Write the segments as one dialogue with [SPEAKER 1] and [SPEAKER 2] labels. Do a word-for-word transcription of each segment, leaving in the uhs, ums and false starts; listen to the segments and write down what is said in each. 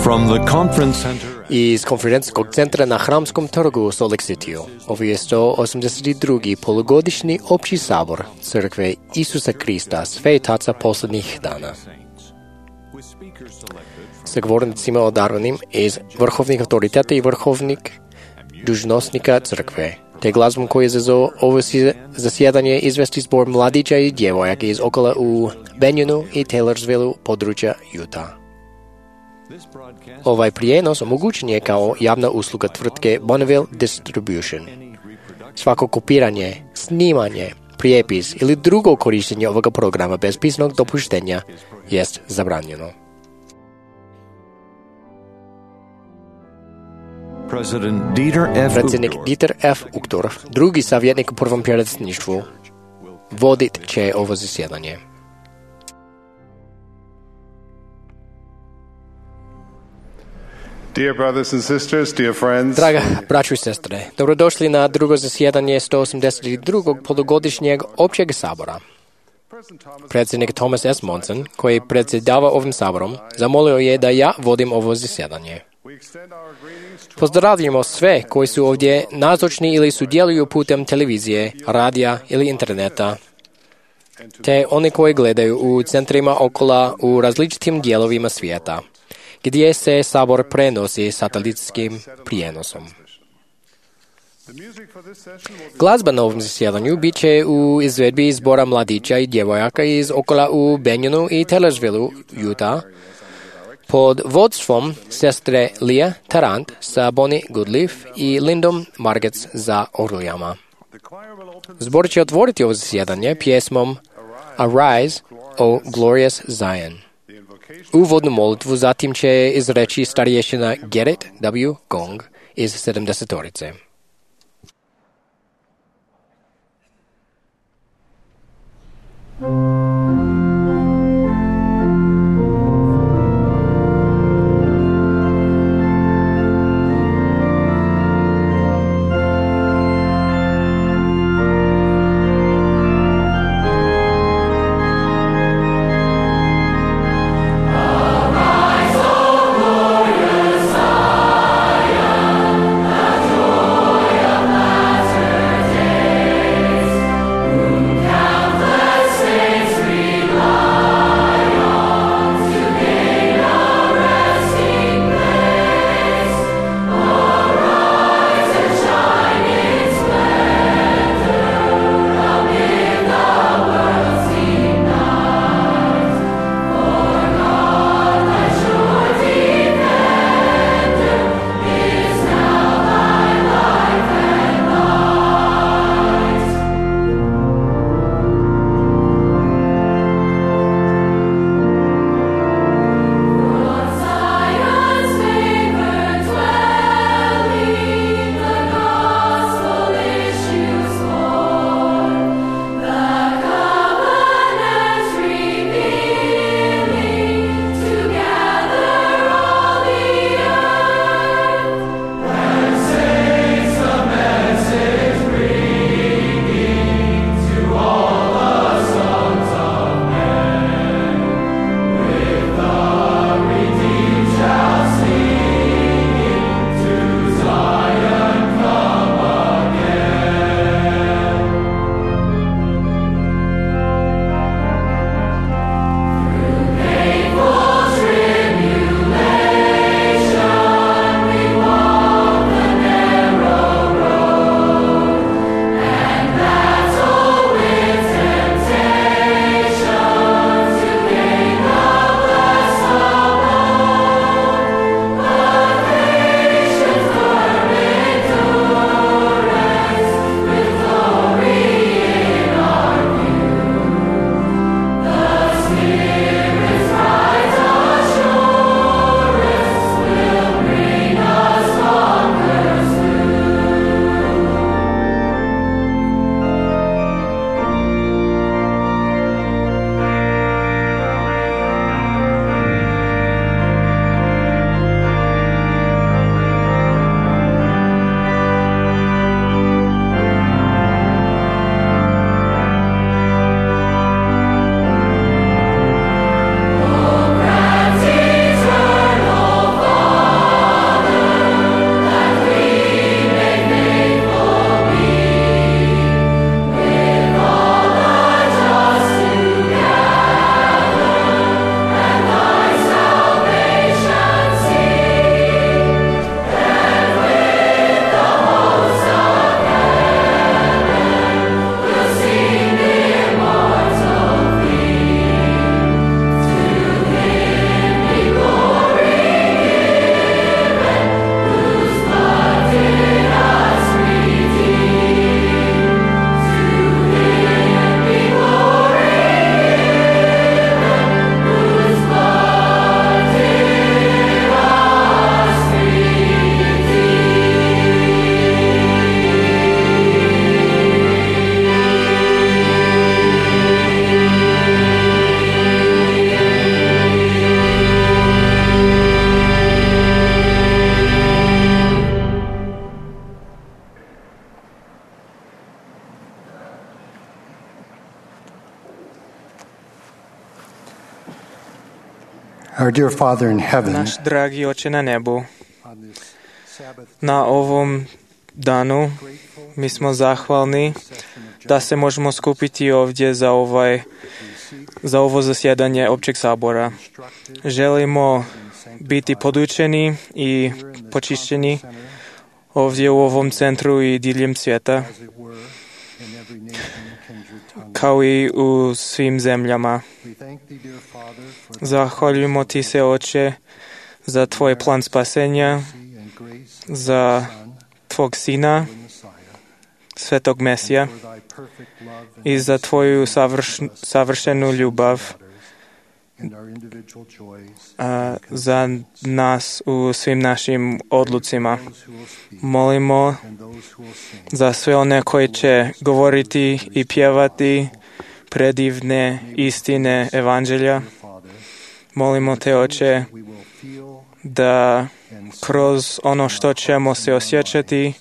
[SPEAKER 1] From the conference center
[SPEAKER 2] Iz konferencijskog centra na Hramskom trgu u Salt Lake Cityu. Ovo je sto osamdeset drugi polugodišnji opći sabor Crkve Isusa Krista Svetaca posljednjih dana. Sa govornicima odabranim iz vrhovnih autoriteta i vrhovnih dužnosnika crkve, te glazbom koji je zazvao ovo zasjedanje izvesti zbor mladića i djevojaka iz okolo u Banyonu i Taylorsvilleu područja Utah. Ovaj prijenos omogućen je kao javna usluga tvrtke Bonneville Distribution. Svako kopiranje, snimanje, prijepis ili drugo korištenje ovoga programa bez pisnog dopuštenja jest zabranjeno. Predsjednik Dieter F. Uchtdorf, drugi savjetnik u prvom predsjedništvu, vodit će ovo zasjedanje.
[SPEAKER 3] Dear brothers and sisters, dear friends,
[SPEAKER 2] Draga braćo i sestre, dobrodošli na drugo zasjedanje sto osamdeset drugog polugodišnjeg općeg sabora. Predsjednik Thomas S. Monson, koji predsjedava ovim saborom, zamolio je da ja vodim ovo zasjedanje. Pozdravljamo sve koji su ovdje nazočni ili sudjeluju putem televizije, radija ili interneta, te oni koji gledaju u centrima okola u različitim dijelovima svijeta, gdje se sabor prenosi satelitskim prijenosom. Glazba na ovom zasjedanju bit će u izvedbi zbora mladića i djevojaka iz okola u Banyonu i Taylorsvilleu, Utah, pod vodstvom sestre Leah Tarrant sa Bonnie Goodleaf i Lindom Margetts za orglijama. Zbor će otvoriti ovo zasjedanje pjesmom Arise, O Glorious Zion. Uvodnu molitvu zatim će izreći starješina Gerrit W. Gong iz sedamdesetorice.
[SPEAKER 4] Arise, O glorious Zion, that your Our dear Father in heaven,
[SPEAKER 5] Naš dragi Oče na nebu,
[SPEAKER 4] on this Sabbath,
[SPEAKER 5] na ovom danu mi smo zahvalni da se možemo skupiti ovdje za, ovaj, za ovo zasjedanje općeg sabora. Želimo biti podučeni i počišćeni ovdje u ovom centru i diljem svijeta,
[SPEAKER 4] as it were, in every nation, kindred, tongue.
[SPEAKER 5] kao i u svim zemljama.
[SPEAKER 4] We thank thee, dear Father, for the
[SPEAKER 5] Zahvaljujemo ti se, Oče, za tvoj plan spasenja,
[SPEAKER 4] mercy and grace of
[SPEAKER 5] za
[SPEAKER 4] thy Son,
[SPEAKER 5] tvog Sina,
[SPEAKER 4] the Messiah,
[SPEAKER 5] Svetog Mesija,
[SPEAKER 4] for thy perfect love and
[SPEAKER 5] i za tvoju savrš, savršenu ljubav
[SPEAKER 4] in our individual joys,
[SPEAKER 5] a, za nas u svim našim odlucima.
[SPEAKER 4] those who will speak
[SPEAKER 5] Molimo
[SPEAKER 4] and those who will sing.
[SPEAKER 5] za sve one koji će govoriti i pjevati predivne istine evanđelja.
[SPEAKER 4] Father,
[SPEAKER 5] Molimo te, Oče,
[SPEAKER 4] we will feel
[SPEAKER 5] da
[SPEAKER 4] and
[SPEAKER 5] kroz ono što ćemo se osjećati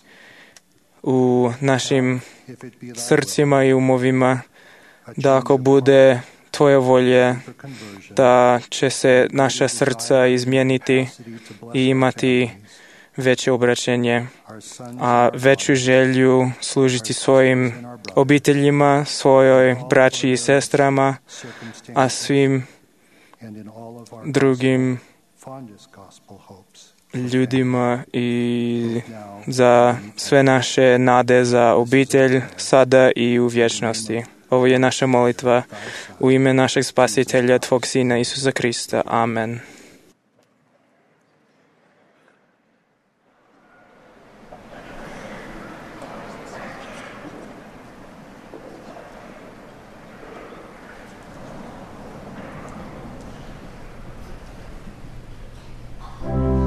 [SPEAKER 5] u našim
[SPEAKER 4] if it be thy
[SPEAKER 5] srcima i umovima,
[SPEAKER 4] will, a
[SPEAKER 5] da ako
[SPEAKER 4] change of
[SPEAKER 5] bude tvoje volje,
[SPEAKER 4] for conversion,
[SPEAKER 5] da će se naša srca izmijeniti
[SPEAKER 4] capacity to bless
[SPEAKER 5] i
[SPEAKER 4] our
[SPEAKER 5] imati
[SPEAKER 4] families,
[SPEAKER 5] veće obraćenje,
[SPEAKER 4] our sons
[SPEAKER 5] a
[SPEAKER 4] and our
[SPEAKER 5] veću želju služiti svojim obiteljima, svojoj braći i sestrama,
[SPEAKER 4] circumstances,
[SPEAKER 5] a svim
[SPEAKER 4] and in all of our
[SPEAKER 5] drugim
[SPEAKER 4] fondest gospel hopes.
[SPEAKER 5] ljudima i
[SPEAKER 4] Now,
[SPEAKER 5] za sve naše nade za obitelj sada i u vječnosti. Ovo je naša molitva u ime našeg spasitelja, tvog Sina Isusa Krista. Amen.
[SPEAKER 6] Thank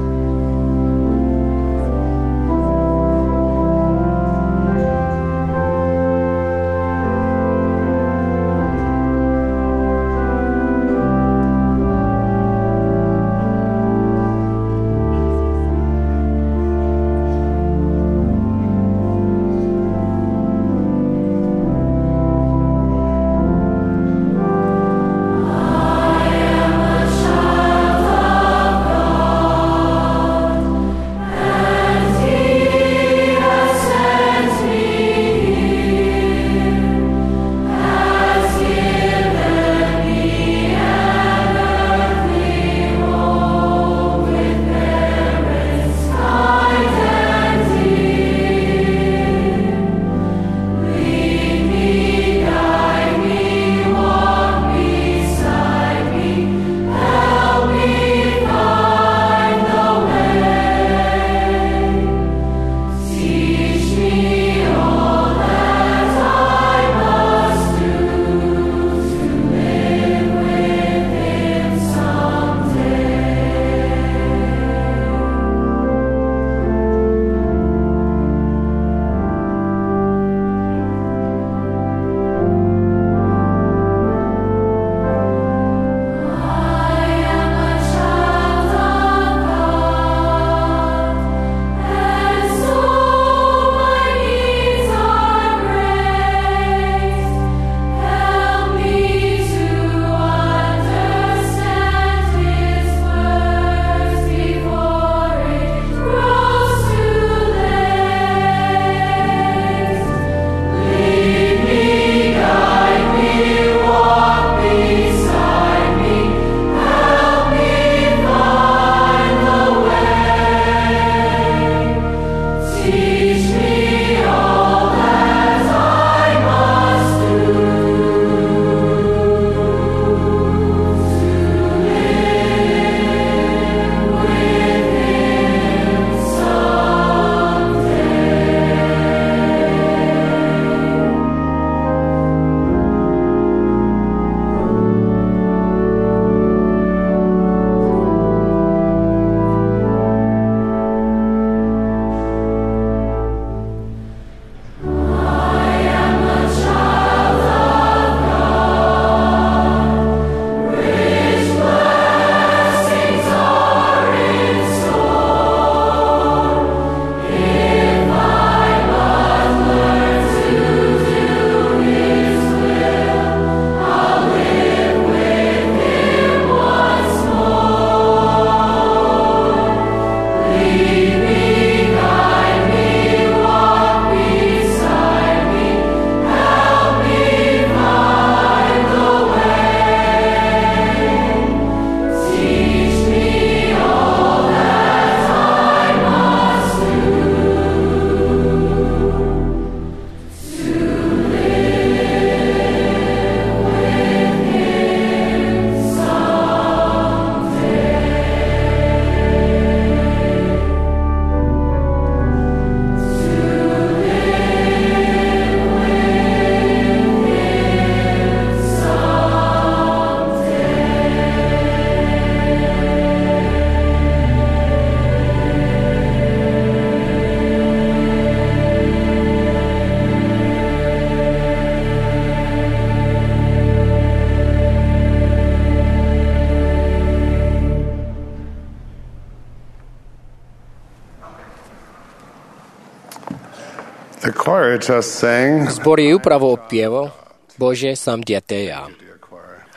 [SPEAKER 3] choir just sang.
[SPEAKER 2] Zbor je upravo opjevo Bože sam dijete ja.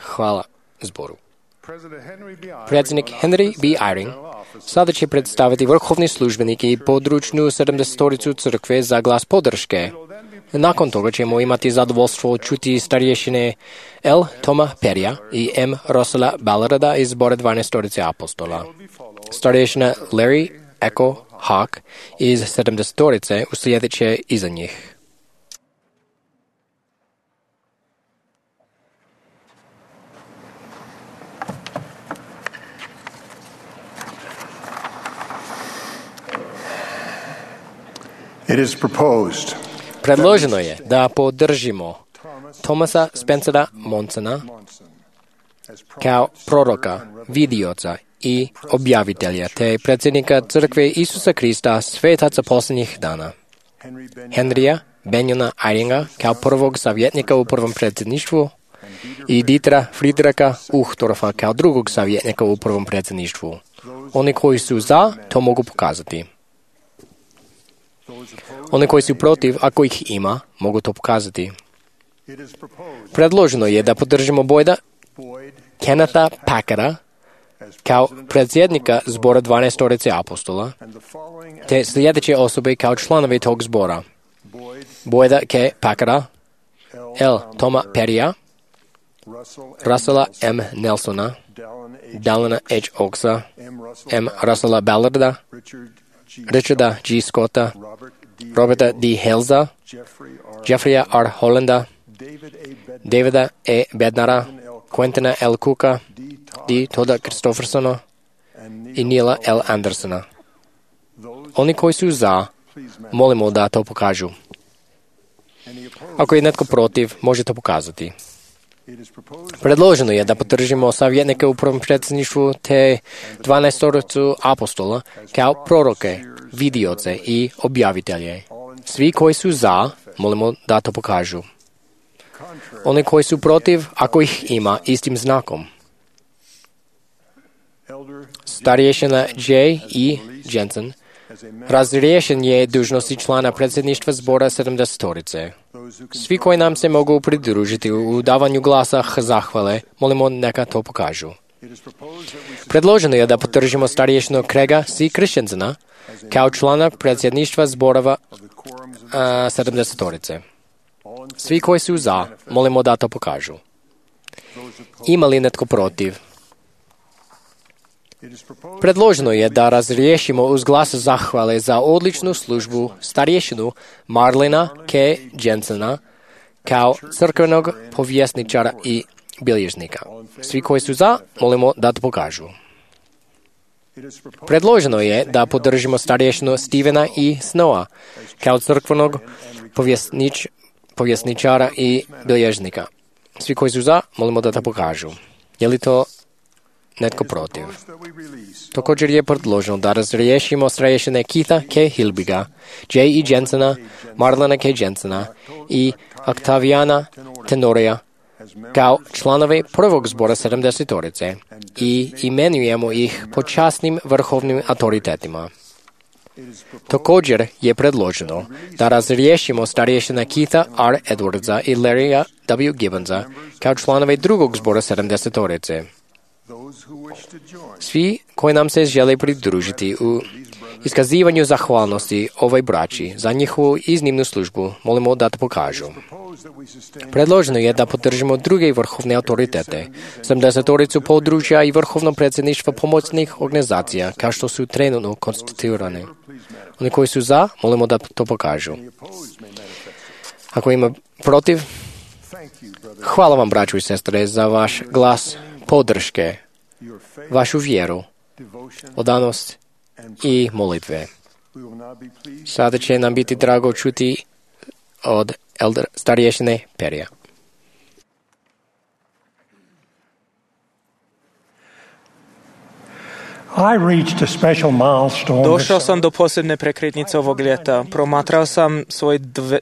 [SPEAKER 2] Hvala zboru. Predsjednik Henry B. Eyring sada će predstaviti vrhovni službenik i područnu sedamdesetoricu crkve za glas podrške. Nakon toga ćemo imati zadovoljstvo čuti starješine L. Toma Perija i M. Russella Ballarda iz zbora dvanaestorice apostola. Starješina Larry Echo Hawk iz sedamdesetorice uslijedit će iza njih.
[SPEAKER 3] It is proposed
[SPEAKER 2] Predloženo je da podržimo Thomasa Spencera Monsona kao proroka, vidioca i objavitelja, te predsjednika crkve Isusa Krista svetaca posljednjih dana. Henrya Benjona Eyringa kao prvog savjetnika u prvom predsjedništvu i Dietera Friedricha Uchtdorfa kao drugog savjetnika u prvom predsjedništvu. Oni koji su za, to mogu pokazati. Oni koji su protiv, ako ih ima, mogu to pokazati. Predloženo je da podržimo Boyda Kennetha Packera kao predsjednika zbora dvanaestorice apostola, te sljedeće osobe kao članovi tog zbora. Boyda K. Packera, L. Toma Perija, Russella M. Nelsona, Dallina H. Oaksa, M. Russella Ballarda, Richarda G. Scotta, Roberta D. Helza, Jeffreya R. Hollanda, Davida E. Bednara, Quentina L. Cooka, D. Toda Christophersona i Neila L. Andersona. Oni koji su za, molimo da to pokažu. Ako je netko protiv, može to pokazati. Predloženo je da podržimo savjetnike u prvom predsjedništvu te dvanaestoricu apostola kao proroke, vidioce i objavitelje. Svi koji su za, molimo da to pokažu. Oni koji su protiv, ako ih ima, istim znakom. Starješina J. E. Jensen razriješen je dužnosti člana predsjedništva zbora sedamdesetorice. Svi koji nam se mogu pridružiti u davanju glasa zahvale, molimo neka to pokažu. Predloženo je da podržimo starješinu Craiga C. Christensena kao člana predsjedništva zborova a, sedamdesetorice. Svi koji su za, molimo da to pokažu. Ima li netko protiv? Predloženo je da razriješimo uz glas zahvale za odličnu službu starješinu Marlina K. Jensena kao crkvenog povjesničara i bilježnika. Svi koji su za, molimo da to pokažu. Predloženo je da podržimo starješinu Stevena E. Snowa kao crkvenog povjesnič, povjesničara i bilježnika. Svi koji su za, molimo da to pokažu. Je li to netko protiv? Također je predloženo da razriješimo starješine Keitha K. Hilbiga, J. E. Jensena, Marlana K. Jensena i Octaviana Tenoria kao članove prvog zbora sedamdesetorice i imenujemo ih počasnim vrhovnim autoritetima. Također je predloženo da razriješimo starješina Keitha R. Edwardsa i Larrya W. Gibbonsa kao članove drugog zbora sedamdesetorice. Svi koji nam se žele pridružiti u iskazivanju zahvalnosti ovoj braći za njihovu iznimnu službu, molimo da to pokažu. Predloženo je da podržimo druge vrhovne autoritete, sedamdesetoricu područja i vrhovno predsjedništvo pomoćnih organizacija, kao što su trenutno konstituirane. Oni koji su za, molimo da to pokažu. Ako ima protiv, hvala vam, braćo i sestre, za vaš glas podrške, vašu vjeru, odanost i molitve. Sada će nam biti drago čuti od elder starješine Perija.
[SPEAKER 5] Došao sam do posljedne prekretnice ovog ljeta. Promatrao sam svoj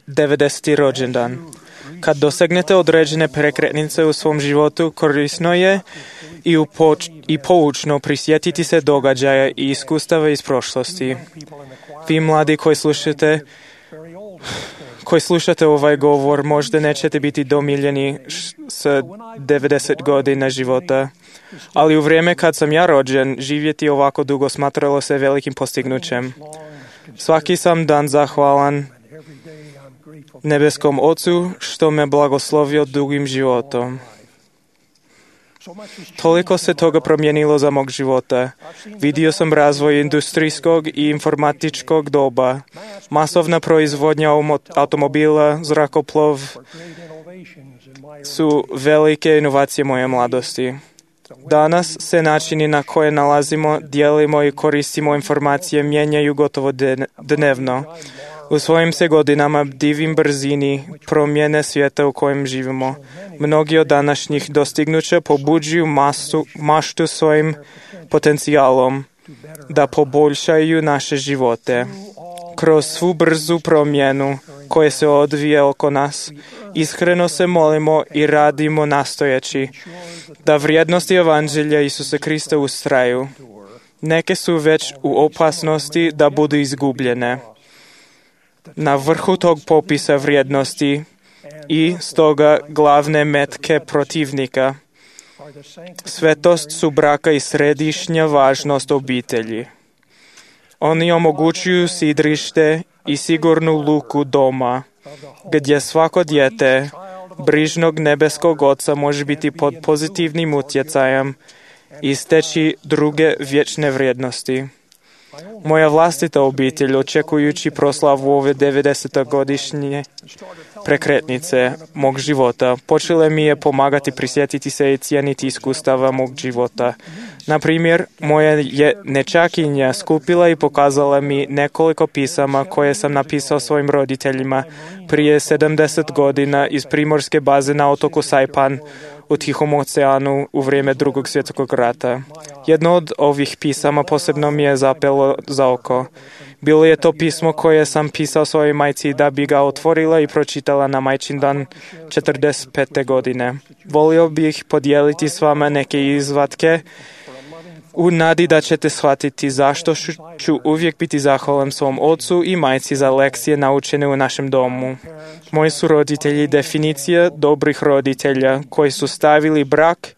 [SPEAKER 5] devedeseti rođendan. Kad dosegnete određene prekretnice u svom životu, korisno je i, upoč- i poučno prisjetiti se događaja i iskustava iz prošlosti. Vi mladi koji slušate, koji slušate ovaj govor, možda nećete biti domiljeni s devedeset godina života, ali u vrijeme kad sam ja rođen, živjeti ovako dugo smatralo se velikim postignućem. Svaki sam dan zahvalan nebeskom Ocu što me blagoslovio dugim životom. Toliko se toga promijenilo za mog života. Vidio sam razvoj industrijskog i informatičkog doba, masovna proizvodnja automobila, zrakoplov su velike inovacije moje mladosti. Danas se načini na koje nalazimo, dijelimo i koristimo informacije mijenjaju gotovo dnevno. U svojim se godinama divim brzini promjene svijeta u kojem živimo. Mnogi od današnjih dostignuća pobuđuju masu, maštu svojim potencijalom da poboljšaju naše živote. Kroz svu brzu promjenu koje se odvije oko nas, iskreno se molimo i radimo nastojeći da vrijednosti Evanđelja Isusa Krista ustraju. Neke su već u opasnosti da budu izgubljene. Na vrhu tog popisa vrijednosti i stoga glavne metke protivnika. Svetost su braka i središnja važnost obitelji. Oni omogućuju sidrište i sigurnu luku doma, gdje svako dijete brižnog nebeskog Oca može biti pod pozitivnim utjecajem i steći druge vječne vrijednosti. Moja vlastita obitelj, očekujući proslavu ove devedesetogodišnje prekretnice mog života, počela mi je pomagati prisjetiti se i cijeniti iskustava mog života. Na primjer, moja je nečakinja skupila i pokazala mi nekoliko pisama koje sam napisao svojim roditeljima prije sedamdeset godina iz primorske baze na otoku Saipan u Tihom oceanu u vrijeme Drugog svjetskog rata. Jedno od ovih pisama posebno mi je zapelo za oko. Bilo je to pismo koje sam pisao svojoj majci da bi ga otvorila i pročitala na majčin dan četrdeset pete godine. Volio bih podijeliti s vama neke izvatke u nadi da ćete shvatiti zašto ću uvijek biti zahvalan svom ocu i majci za lekcije naučene u našem domu. Moji su roditelji definicija dobrih roditelja koji su stavili brak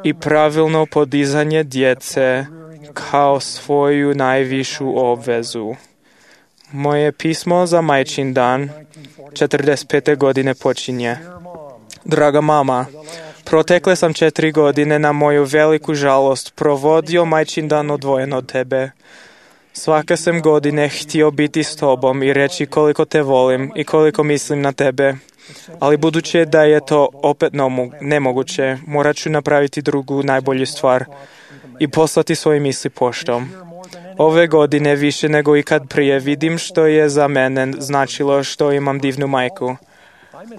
[SPEAKER 5] i pravilno podizanje djece kao svoju najvišu obvezu. Moje pismo za majčin dan četrdeset pete godine počinje. Draga mama, protekle sam četiri godine na moju veliku žalost provodio majčin dan odvojen od tebe. Svake sam godine htio biti s tobom i reći koliko te volim i koliko mislim na tebe. Ali budući da je to opet nemoguće, morat ću napraviti drugu najbolju stvar i poslati svoje misli poštom. Ove godine više nego ikad prije vidim što je za mene značilo što imam divnu majku.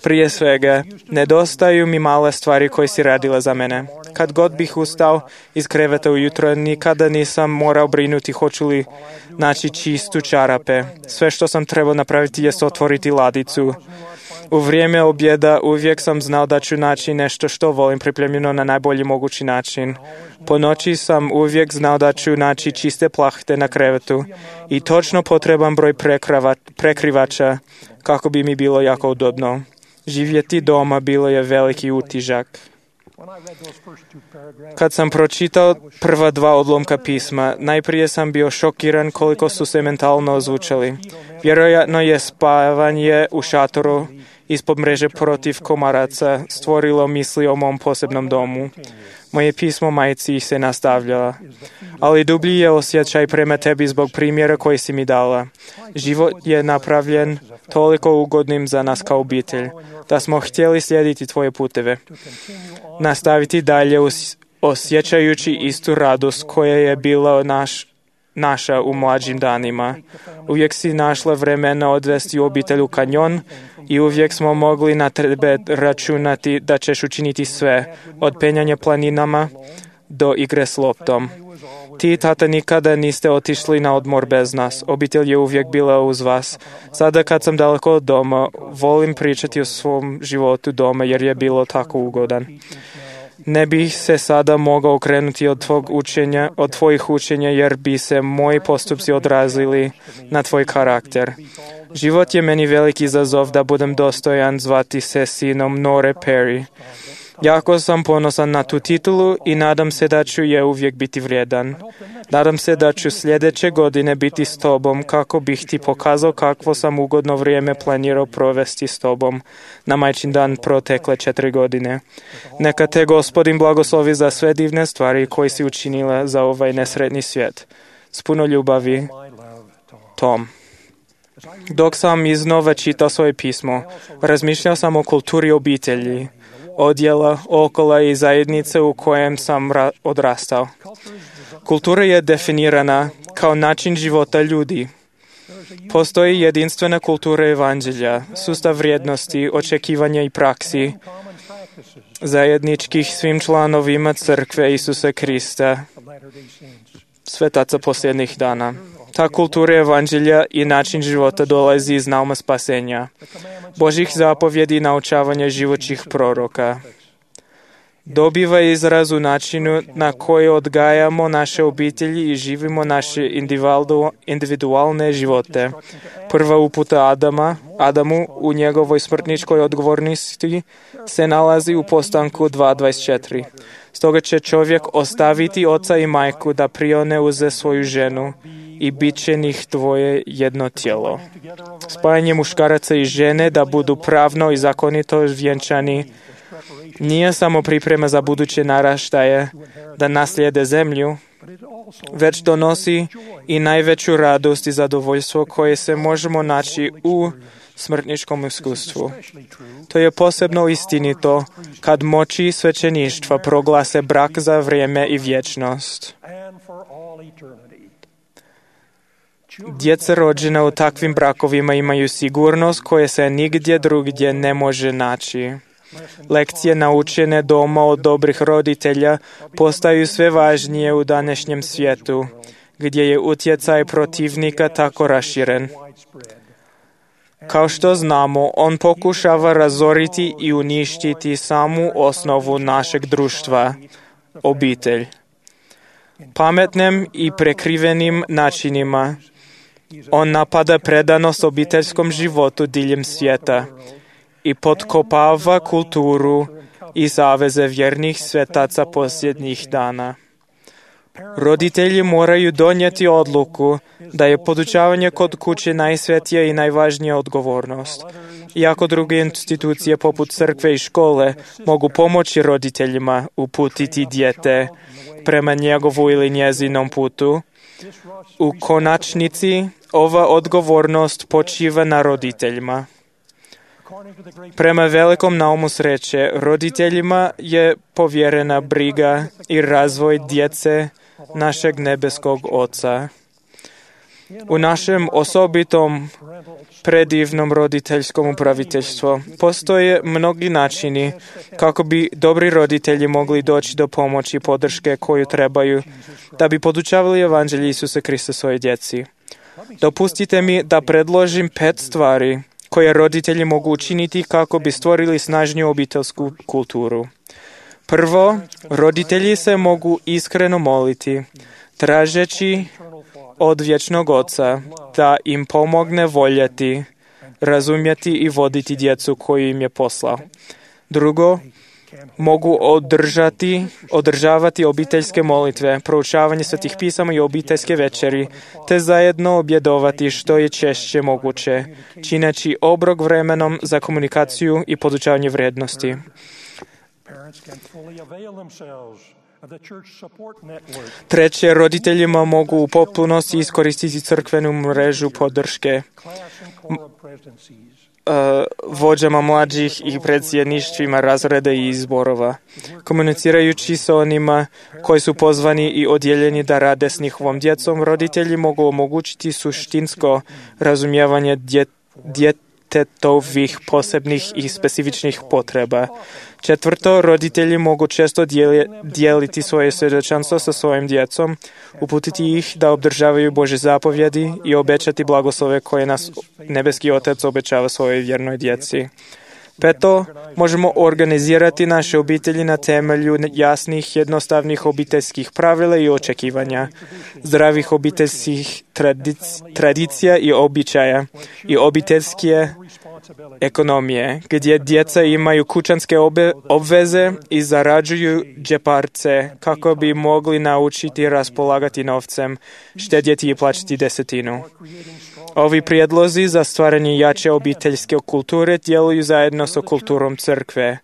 [SPEAKER 5] Prije svega, nedostaju mi male stvari koje si radila za mene. Kad god bih ustao iz kreveta ujutro, nikada nisam morao brinuti hoću li naći čistu čarape. Sve što sam trebao napraviti je otvoriti ladicu. U vrijeme objeda uvijek sam znao da ću naći nešto što volim pripremljeno na najbolji mogući način. Po noći sam uvijek znao da ću naći čiste plahte na krevetu i točno potreban broj prekrivača kako bi mi bilo jako udobno. Živjeti doma bilo je veliki utižak. Kad sam pročitao prva dva odlomka pisma, najprije sam bio šokiran koliko su se mentalno ozvučali. Vjerojatno je spavanje u šatoru ispod mreže protiv komaraca stvorilo misli o mom posebnom domu. Moje pismo majci se nastavljala. Ali dublji je osjećaj prema tebi zbog primjera koji si mi dala. Život je napravljen toliko ugodnim za nas kao obitelj, da smo htjeli slijediti tvoje puteve. Nastaviti dalje osjećajući istu radost koja je bila naš, naša u mlađim danima. Uvijek si našla vremena odvesti u obitelj u kanjon i uvijek smo mogli na tebe računati da ćeš učiniti sve, od penjanja planinama do igre s loptom. Ti, tata, nikada niste otišli na odmor bez nas. Obitelj je uvijek bila uz vas. Sada kad sam daleko od doma, volim pričati o svom životu doma jer je bilo tako ugodan. Ne bih se sada mogao okrenuti od tvog učenja, od tvojih učenja jer bi se moji postupci odrazili na tvoj karakter. Život je meni veliki izazov da budem dostojan zvati se sinom Nore Perry. Jako sam ponosan na tu titulu i nadam se da ću je uvijek biti vrijedan. Nadam se da ću sljedeće godine biti s tobom kako bih ti pokazao kakvo sam ugodno vrijeme planirao provesti s tobom na majčin dan protekle četiri godine. Neka te Gospodin blagoslovi za sve divne stvari koje si učinila za ovaj nesretni svijet. S puno ljubavi, Tom. Dok sam iznova čitao svoje pismo, razmišljao sam o kulturi obitelji, odjela, okola i zajednice u kojem sam ra- odrastao. Kultura je definirana kao način života ljudi. Postoji jedinstvena kultura evanđelja, sustav vrijednosti, očekivanja i praksi, zajedničkih svim članovima crkve Isusa Krista, svetaca posljednjih dana. Ta kultura evanđelja i način života dolazi iz nauma spasenja, Božih zapovjedi i naučavanja životnih proroka. Dobiva izraz u načinu na koji odgajamo naše obitelji i živimo naše individualne živote. Prva uputa Adama, Adamu u njegovoj smrtničkoj odgovornosti se nalazi u Postanku dva dvadeset četiri. Stoga će čovjek ostaviti oca i majku da prione uze svoju ženu i bit će njih dvoje jedno tijelo. Spajanje muškaraca i žene da budu pravno i zakonito vjenčani nije samo priprema za buduće naraštaje da naslijede zemlju, već donosi i najveću radost i zadovoljstvo koje se možemo naći u smrtničkom iskustvu. To je posebno istinito kad moći svećeništva proglase brak za vrijeme i vječnost. Djeca rođena u takvim brakovima imaju sigurnost koje se nigdje drugdje ne može naći. Lekcije naučene doma od dobrih roditelja postaju sve važnije u današnjem svijetu, gdje je utjecaj protivnika tako raširen. Kao što znamo, on pokušava razoriti i uništiti samu osnovu našeg društva, obitelj. Pametnim i prekrivenim načinima on napada predanost obiteljskom životu diljem svijeta i potkopava kulturu i saveze vjernih svetaca posljednjih dana. Roditelji moraju donijeti odluku da je podučavanje kod kuće najsvetija i najvažnija odgovornost. Iako druge institucije poput crkve i škole mogu pomoći roditeljima uputiti dijete prema njegovu ili njezinom putu, u konačnici ova odgovornost počiva na roditeljima. Prema velikom naumu sreće, roditeljima je povjerena briga i razvoj djece našeg nebeskog Oca. U našem osobitom predivnom roditeljskom upraviteljstvu postoje mnogi načini kako bi dobri roditelji mogli doći do pomoći i podrške koju trebaju da bi podučavali evanđelje Isusa Krista svoje djeci. Dopustite mi da predložim pet stvari koje roditelji mogu učiniti kako bi stvorili snažniju obiteljsku kulturu. Prvo, roditelji se mogu iskreno moliti, tražeći od vječnog Oca da im pomogne voljeti, razumjeti i voditi djecu koju im je poslao. Drugo, mogu održati, održavati obiteljske molitve, proučavanje svetih pisama i obiteljske večeri, te zajedno objedovati što je češće moguće, čineći obrok vremenom za komunikaciju i podučavanje vrijednosti. Treće, roditeljima mogu u potpunosti iskoristiti crkvenu mrežu podrške vođama mlađih i predsjedništvima razreda i izborova, komunicirajući sa onima koji su pozvani i odjeljeni da rade s njihovom djecom. Roditelji mogu omogućiti suštinsko razumijevanje djetetovih posebnih i specifičnih potreba. Četvrto, roditelji mogu često dijeliti svoje svjedočanstvo sa svojim djecom, uputiti ih da obdržavaju Božje zapovjedi i obećati blagoslove koje nas nebeski Otac obećava svojoj vjernoj djeci. Peto, možemo organizirati naše obitelji na temelju jasnih, jednostavnih obiteljskih pravila i očekivanja, zdravih obiteljskih tradic- tradicija i običaja i obiteljske ekonomije, gdje djeca imaju kućanske obe- obveze i zarađuju džeparce kako bi mogli naučiti raspolagati novcem, štedjeti i plaćati desetinu. Ovi prijedlozi za stvaranje jače obiteljske kulture djeluju zajedno sa kulturom crkve.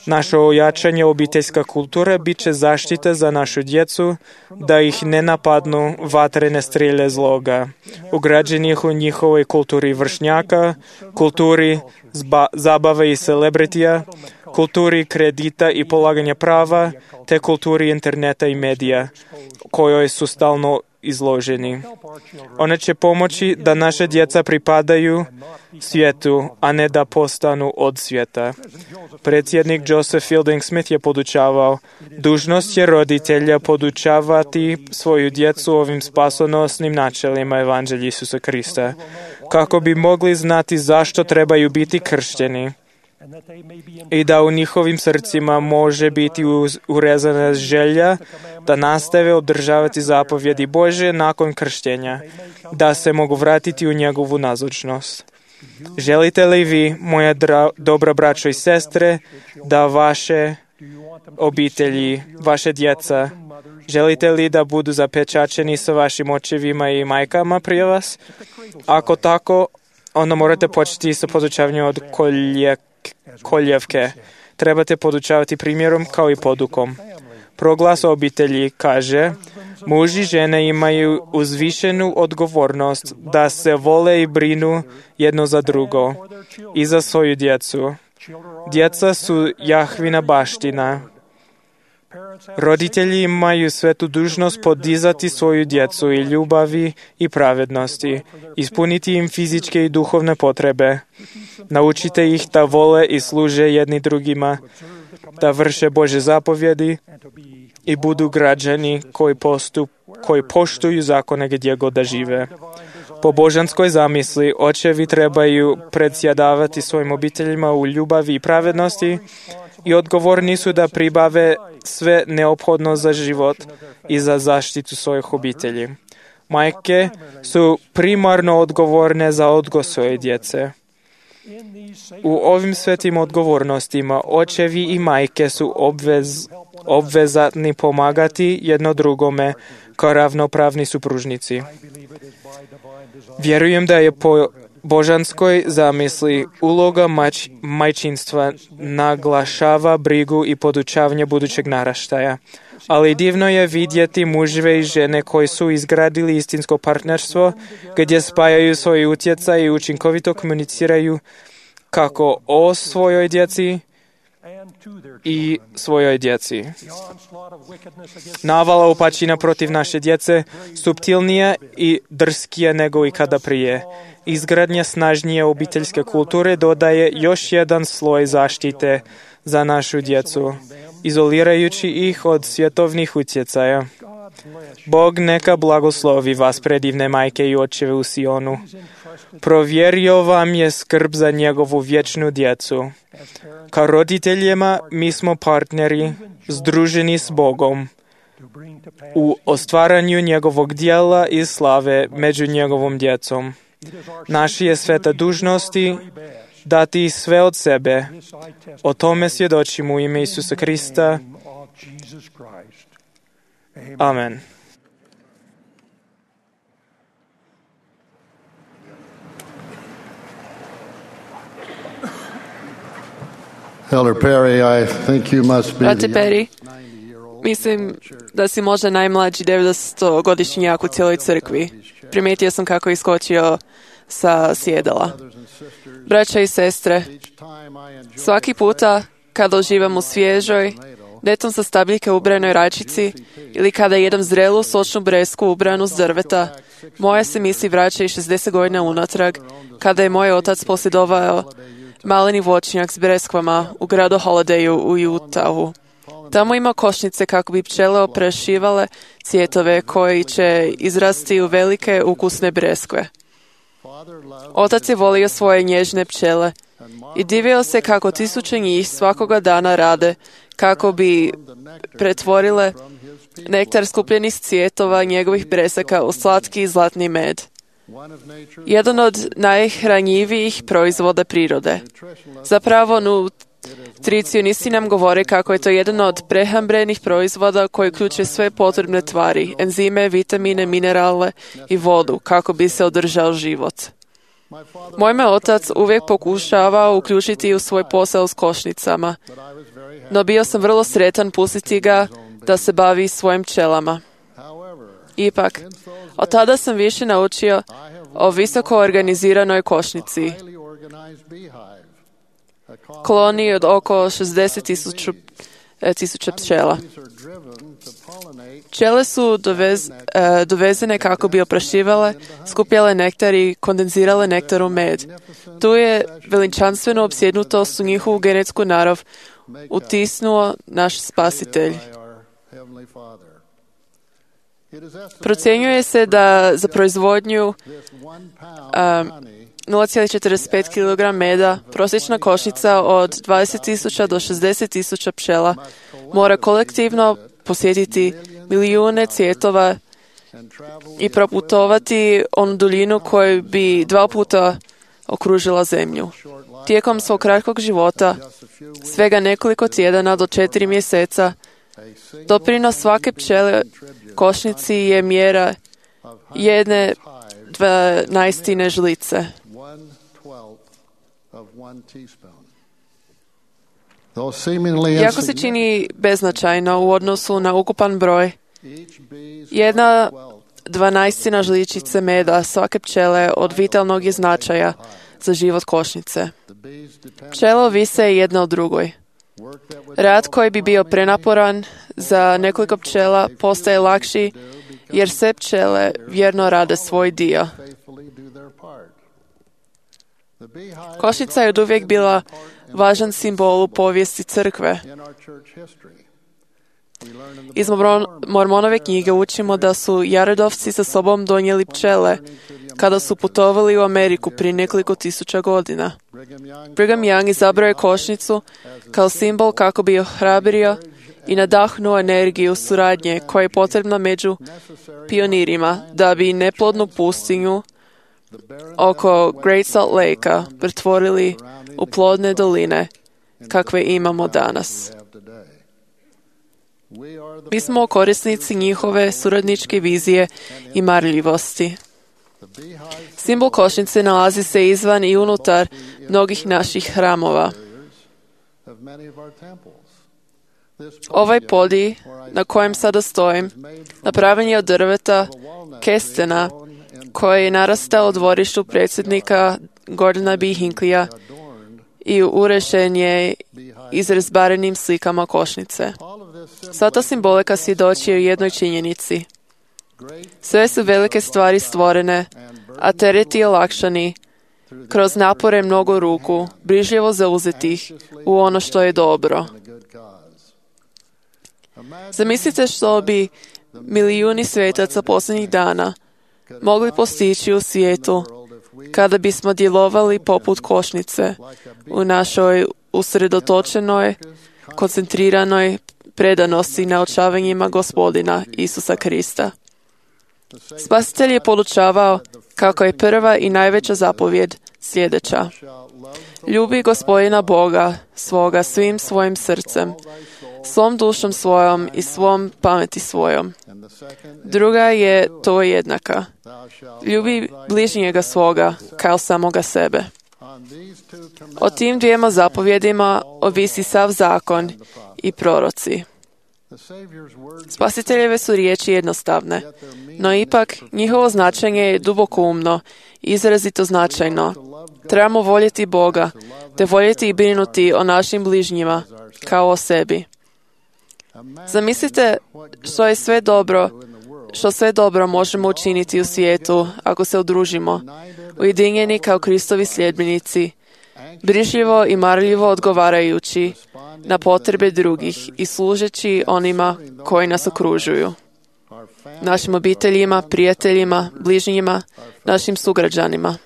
[SPEAKER 5] Naše ojačanje obiteljska kultura bit će zaštita za našu djecu, da ih ne napadnu vatrene strelje zloga, ugrađenih u njihovoj kulturi vršnjaka, kulturi zba, zabave i celebritija, kulturi kredita i polaganja prava, te kulturi interneta i medija, kojoj su stalno izloženi. One će pomoći da naše djeca pripadaju svijetu, a ne da postanu od svijeta. Predsjednik Joseph Fielding Smith je podučavao, dužnost je roditelja podučavati svoju djecu ovim spasonosnim načelima Evanđelja Isusa Krista, kako bi mogli znati zašto trebaju biti kršteni i da u njihovim srcima može biti urezana želja da nastave održavati zapovjedi Božje nakon krštenja, da se mogu vratiti u njegovu nazočnost. Želite li vi, moja dra, dobra braćo i sestre, da vaše obitelji, vaše djeca, želite li da budu zapečačeni sa vašim očevima i majkama prije vas? Ako tako, onda morate početi sa podučavanjem od kolje, koljevke. Trebate podučavati primjerom kao i podukom. Proglas obitelji kaže, muž i žene imaju uzvišenu odgovornost da se vole i brinu jedno za drugo i za svoju djecu. Djeca su Jahvina baština. Roditelji imaju svetu dužnost podizati svoju djecu i ljubavi i pravednosti, ispuniti im fizičke i duhovne potrebe. Naučite ih da vole i služe jedni drugima, da vrše Božje zapovjedi i budu građani koji, postup, koji poštuju zakone gdje god da žive. Po božanskoj zamisli, očevi trebaju predsjedavati svojim obiteljima u ljubavi i pravednosti i odgovorni su da pribave sve neophodno za život i za zaštitu svojih obitelji. Majke su primarno odgovorne za odgoj svoje djece. U ovim svetim odgovornostima očevi i majke su obvez, obvezatni pomagati jedno drugome kao ravnopravni supružnici. Vjerujem da je po božanskoj zamisli uloga mač, majčinstva naglašava brigu i podučavanje budućeg naraštaja. Ali divno je vidjeti muževe i žene koji su izgradili istinsko partnerstvo, gdje spajaju svoj utjecaj i učinkovito komuniciraju kako o svojoj djeci i svojoj djeci. Navala upačina protiv naše djece suptilnija i drskija nego ikada prije. Izgradnja snažnije obiteljske kulture dodaje još jedan sloj zaštite za našu djecu, izolirajući ih od svjetovnih utjecaja. Bog neka blagoslovi vas, predivne majke i očeve u Sionu. Provjerio vam je skrb za njegovu vječnu djecu. Kao roditeljima mi smo partneri, združeni s Bogom u ostvaranju njegovog dijela i slave među njegovom djecom. Naša je sveta dužnosti dati sve od sebe. O tome svjedočimo u ime Isusa Krista. Amen.
[SPEAKER 3] Elder Perry, I think you must be
[SPEAKER 6] Brate
[SPEAKER 3] the
[SPEAKER 6] Perry, mislim da si možda najmlađi devetstogodišnjak u cijeloj crkvi. Primijetio sam kako je iskočio sa sjedala. Braća i sestre, svaki puta kada uživam u svježoj, netom sa stabljike ubranoj rajčici ili kada jedem zrelu sočnu bresku ubranu s drveta, moje se misli vraćaju šezdeset godina unatrag, kada je moj otac posjedovao maleni voćnjak s breskvama u gradu Holidayu u Utahu. Tamo ima košnice kako bi pčele oprašivale cvjetove koji će izrasti u velike ukusne breskve. Otac je volio svoje nježne pčele i divio se kako tisuće njih svakoga dana rade, kako bi pretvorile nektar skupljeni s cvjetova njegovih bresaka u slatki i zlatni med. Jedan od najhranjivijih proizvoda prirode. Zapravo, nutricionisti nam govore kako je to jedan od prehrambenih proizvoda koji uključuje sve potrebne tvari, enzime, vitamine, minerale i vodu, kako bi se održao život. Moj me otac uvijek pokušavao uključiti u svoj posao s košnicama, no bio sam vrlo sretan pustiti ga da se bavi svojim pčelama. Ipak, od tada sam više naučio o visoko organiziranoj košnici. Koloniji od oko šezdeset tisuća pčela. Pčele su dovez, e, dovezene kako bi oprašivale, skupljale nektar i kondenzirale nektar u med. Tu je veličanstveno opsjednutost u njihovu genetsku narav utisnuo naš spasitelj. Procjenjuje se da za proizvodnju um, nula zarez četrdeset pet kilograma meda prosječna košnica od dvadeset tisuća do šezdeset tisuća pčela mora kolektivno posjetiti milijune cvjetova i proputovati onu duljinu koju bi dva puta okružila zemlju. Tijekom svog kratkog života, svega nekoliko tjedana do četiri mjeseca, doprinos svake pčele košnici je mjera jedne dvanaestine žlice. Iako se čini beznačajno u odnosu na ukupan broj, jedna dvanaestina žličice meda svake pčele od vitalnog je značaja za život košnice. Pčele ovise jedna o drugoj. Rad koji bi bio prenaporan za nekoliko pčela postaje lakši jer sve pčele vjerno rade svoj dio. Košnica je oduvijek bila važan simbol u povijesti crkve. Iz Mormonove knjige učimo da su Jaredovci sa sobom donijeli pčele kada su putovali u Ameriku prije nekoliko tisuća godina. Brigham Young izabrao je košnicu kao simbol kako bi ohrabrio i nadahnuo energiju suradnje koja je potrebna među pionirima da bi neplodnu pustinju oko Great Salt Lake-a pretvorili u plodne doline kakve imamo danas. Mi smo korisnici njihove suradničke vizije i marljivosti. Simbol košnice nalazi se izvan i unutar mnogih naših hramova. Ovaj podij na kojem sada stojim napravljen je od drveta kestena koji je narastao u dvorištu predsjednika Gordona B. Hinckleyja i urešen je izrezbarenim slikama košnice. Sva ta simbolika svjedoči o jednoj činjenici. Sve su velike stvari stvorene, a tereti olakšani kroz napore mnogo ruku, brižljivo zauzetih u ono što je dobro. Zamislite što bi milijuni svetaca posljednjih dana mogli postići u svijetu kada bismo djelovali poput košnice u našoj usredotočenoj, koncentriranoj predanosti naučavanjima Gospodina Isusa Krista. Spasitelj je podučavao kako je prva i najveća zapovjed sljedeća. Ljubi Gospodina Boga svoga svim svojim srcem, svom dušom svojom i svom pameti svojom. Druga je to jednaka. Ljubi bližnjega svoga kao samoga sebe. O tim dvijema zapovjedima ovisi sav zakon i proroci. Spasiteljeve su riječi jednostavne, no ipak njihovo značenje je dubokoumno i izrazito značajno. Trebamo voljeti Boga, te voljeti i brinuti o našim bližnjima kao o sebi. Zamislite što je sve dobro, što sve dobro možemo učiniti u svijetu ako se udružimo, ujedinjeni kao Kristovi sljedbenici, brižljivo i marljivo odgovarajući na potrebe drugih i služeći onima koji nas okružuju. Našim obiteljima, prijateljima, bližnjima, našim sugrađanima.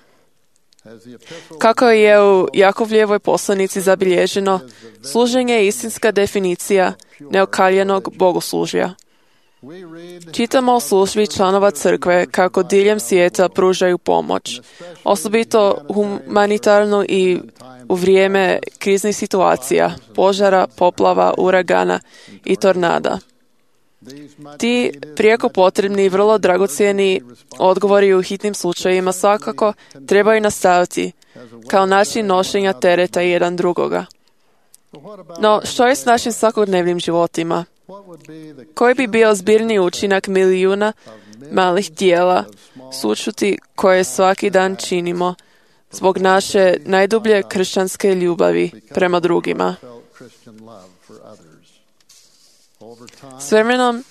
[SPEAKER 6] Kako je u Jakovljevoj poslanici zabilježeno, služenje je istinska definicija neokaljenog bogoslužja. Čitamo o službi članova crkve kako diljem svijeta pružaju pomoć, osobito humanitarnu i u vrijeme kriznih situacija, požara, poplava, uragana i tornada. Ti prijeko potrebni i vrlo dragocjeni odgovori u hitnim slučajevima svakako trebaju nastaviti kao način nošenja tereta jedan drugoga. No, što je s našim svakodnevnim životima? Koji bi bio zbirni učinak milijuna malih dijela sućuti koje svaki dan činimo zbog naše najdublje kršćanske ljubavi prema drugima? S vremenom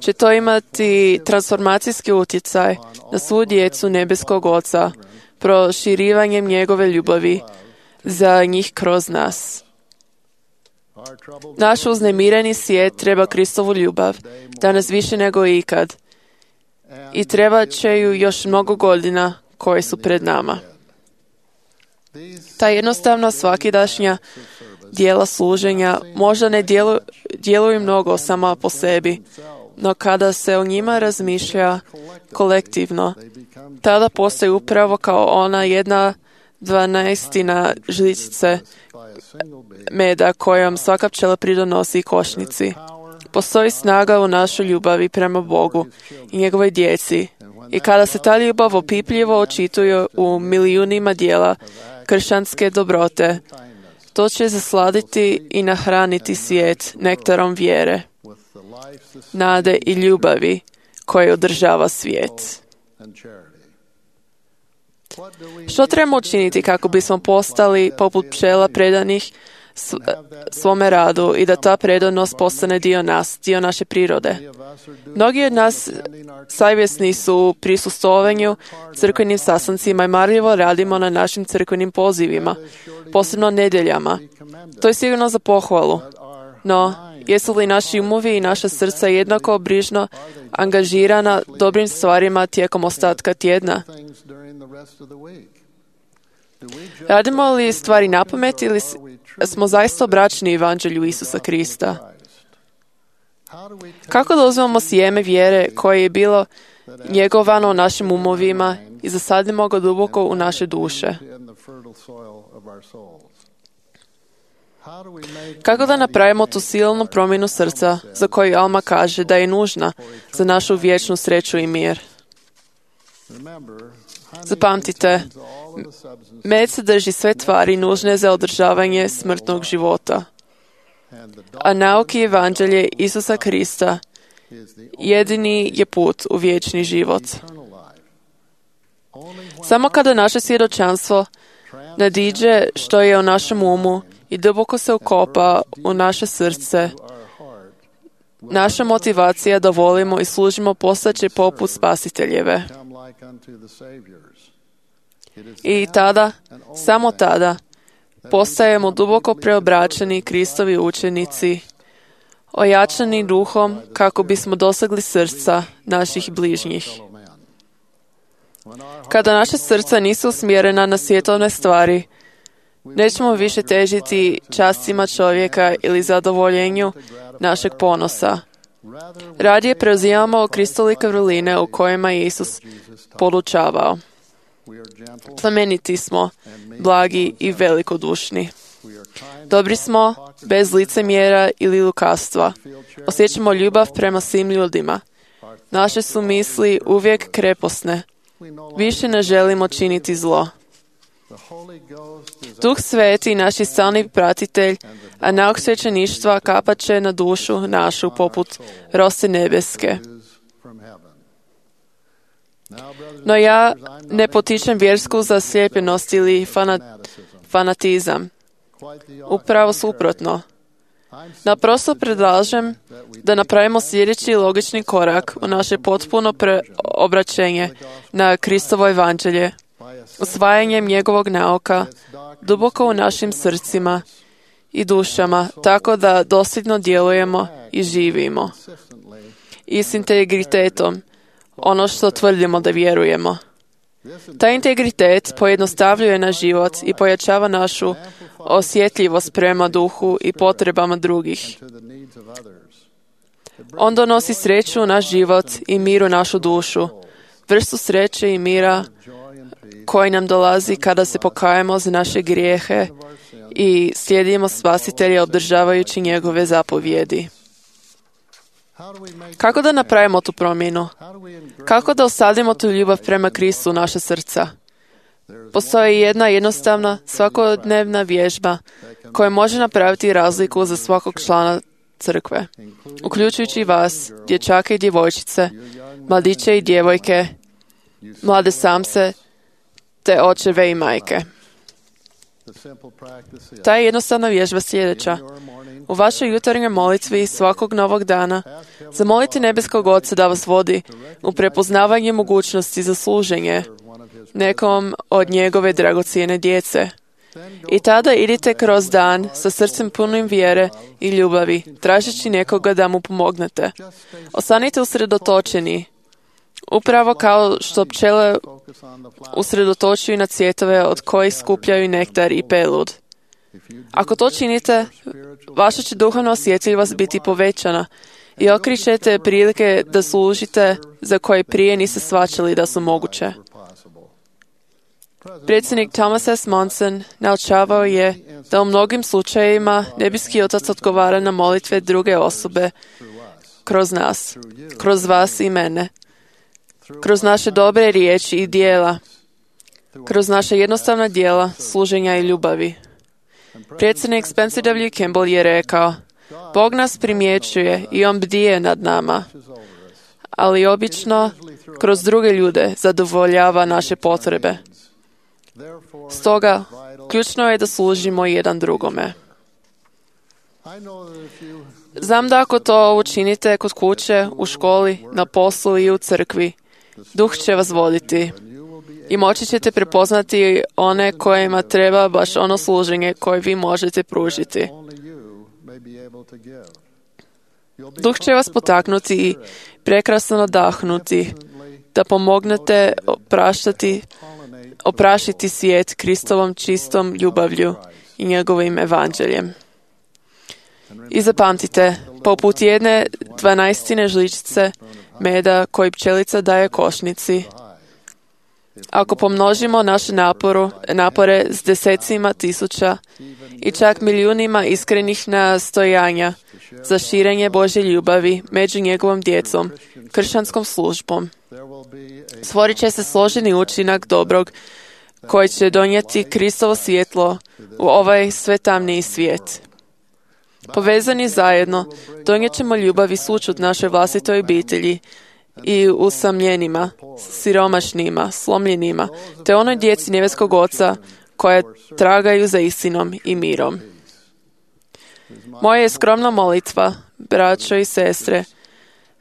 [SPEAKER 6] će to imati transformacijski utjecaj na svu djecu nebeskog Oca, proširivanjem njegove ljubavi za njih kroz nas. Naš uznemireni svijet treba Kristovu ljubav, danas više nego ikad, i treba će ju još mnogo godina koje su pred nama. Ta jednostavna svakidašnja dijela služenja možda ne djeluju, djeluju mnogo sama po sebi, no kada se o njima razmišlja kolektivno, tada postoji upravo kao ona jedna dvanaestina žličice meda kojom svaka pčela pridonosi košnici. Postoji snaga u našoj ljubavi prema Bogu i njegovoj djeci, i kada se ta ljubav opipljivo očituje u milijunima dijela kršćanske dobrote, to će zasladiti i nahraniti svijet nektarom vjere, nade i ljubavi koje održava svijet. Što trebamo učiniti kako bismo postali poput pčela predanih svome radu i da ta predanost postane dio nas, dio naše prirode? Mnogi od nas savjesni su u prisustvovanju crkvenim sastancima i marljivo radimo na našim crkvenim pozivima, posebno nedjeljama. To je sigurno za pohvalu. No, jesu li naši umovi i naša srca jednako brižno angažirana dobrim stvarima tijekom ostatka tjedna? Radimo li stvari napamet ili smo zaista obraćeni evanđelju Isusa Krista? Kako da uzmemo sjeme vjere koje je bilo njegovano u našim umovima i zasadimo ga duboko u naše duše? Kako da napravimo tu silnu promjenu srca za koju Alma kaže da je nužna za našu vječnu sreću i mir? Zapamtite, med sadrži sve tvari nužne za održavanje smrtnog života, a nauki evanđelje Isusa Krista jedini je put u vječni život. Samo kada naše svjedočanstvo nadiđe što je u našem umu i duboko se ukopa u naše srce, naša motivacija da volimo i služimo postaće poput Spasiteljeve. I tada, samo tada, postajemo duboko preobraćeni Kristovi učenici, ojačani duhom kako bismo dosegli srca naših bližnjih. Kada naše srca nisu usmjerena na svjetovne stvari, nećemo više težiti častima čovjeka ili zadovoljenju našeg ponosa. Radije preuzimamo kristolike vrline u kojima je Isus podučavao. Plemeniti smo, blagi i velikodušni. Dobri smo, bez licemjera ili lukavstva. Osjećamo ljubav prema svim ljudima. Naše su misli uvijek kreposne. Više ne želimo činiti zlo. Duh Sveti, naš stalni pratitelj, a nauk svećeništva kapat će na dušu našu poput rose nebeske. No ja ne potičem vjersku zaslijepljenost ili fanatizam. Upravo suprotno. Naprosto predlažem da napravimo sljedeći logični korak u naše potpuno preobraćenje na Kristovo evanđelje, usvajanjem njegovog nauka duboko u našim srcima i dušama, tako da dosljedno djelujemo i živimo. I s integritetom, ono što tvrdimo da vjerujemo. Taj integritet pojednostavljuje naš život i pojačava našu osjetljivost prema duhu i potrebama drugih. On donosi sreću u naš život i mir u našu dušu, vrstu sreće i mira koji nam dolazi kada se pokajemo za naše grijehe i slijedimo Spasitelja obdržavajući njegove zapovjedi. Kako da napravimo tu promjenu? Kako da osadimo tu ljubav prema Kristu u naša srca? Postoji jedna jednostavna, svakodnevna vježba koja može napraviti razliku za svakog člana crkve, uključujući vas, dječake i djevojčice, mladiće i djevojke, mlade samce, te očeve i majke. Ta je jednostavna vježba sljedeća. U vašoj jutarnjoj molitvi svakog novog dana zamolite nebeskog Oca da vas vodi u prepoznavanje mogućnosti za služenje nekom od njegove dragocjene djece. I tada idite kroz dan sa srcem punim vjere i ljubavi, tražeći nekoga da mu pomognete. Ostanite usredotočeni, upravo kao što pčele usredotočuju na cvjetove od kojih skupljaju nektar i pelud. Ako to činite, vaša će duhovna osjetljivost biti povećana i okrićete prilike da služite za koje prije niste shvaćali da su moguće. Predsjednik Thomas S. Monson naučavao je da u mnogim slučajevima nebeski Otac odgovara na molitve druge osobe kroz nas, kroz vas i mene, kroz naše dobre riječi i dijela, kroz naša jednostavna dijela služenja i ljubavi. Predsjednik Spencer W. Kimball je rekao, Bog nas primjećuje i On bdije nad nama, ali obično kroz druge ljude zadovoljava naše potrebe. Stoga, ključno je da služimo jedan drugome. Znam da ako to učinite kod kuće, u školi, na poslu i u crkvi, Duh će vas voditi i moći ćete prepoznati one kojima treba baš ono služenje koje vi možete pružiti. Duh će vas potaknuti i prekrasno nadahnuti da pomognete opraštati, oprašiti svijet Kristovom čistom ljubavlju i njegovim evanđeljem. I zapamtite, poput jedne dvanaestine žličice meda koji pčelica daje košnici, ako pomnožimo naše naporu, napore s desecima tisuća i čak milijunima iskrenih nastojanja za širenje Božje ljubavi među njegovom djecom, kršćanskom službom, stvorit će se složeni učinak dobrog koji će donijeti Kristovo svjetlo u ovaj sve tamniji svijet. Povezani zajedno, donijet ćemo ljubav i sućut našoj vlastitoj obitelji i usamljenima, siromašnima, slomljenima, te onoj djeci nebeskog Oca koja tragaju za istinom i mirom. Moja je skromna molitva, braćo i sestre,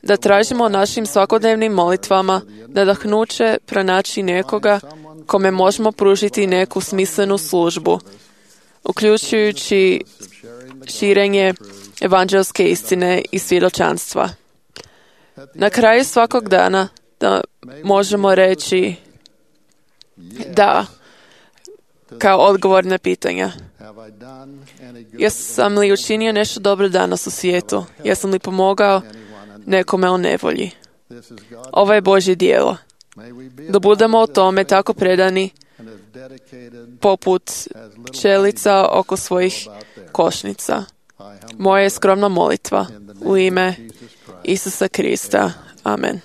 [SPEAKER 6] da tražimo našim svakodnevnim molitvama nadahnuće pronaći nekoga kome možemo pružiti neku smislenu službu, uključujući širenje evanđelske istine i svjedočanstva. Na kraju svakog dana da možemo reći da, kao odgovor na pitanja. Jesam li učinio nešto dobro danas u svijetu? Jesam li pomogao nekome u nevolji? Ovo je Božje djelo. Da budemo o tome tako predani poput pčelica oko svojih košnica. Moja je skromna molitva u ime Isusa Krista. Amen.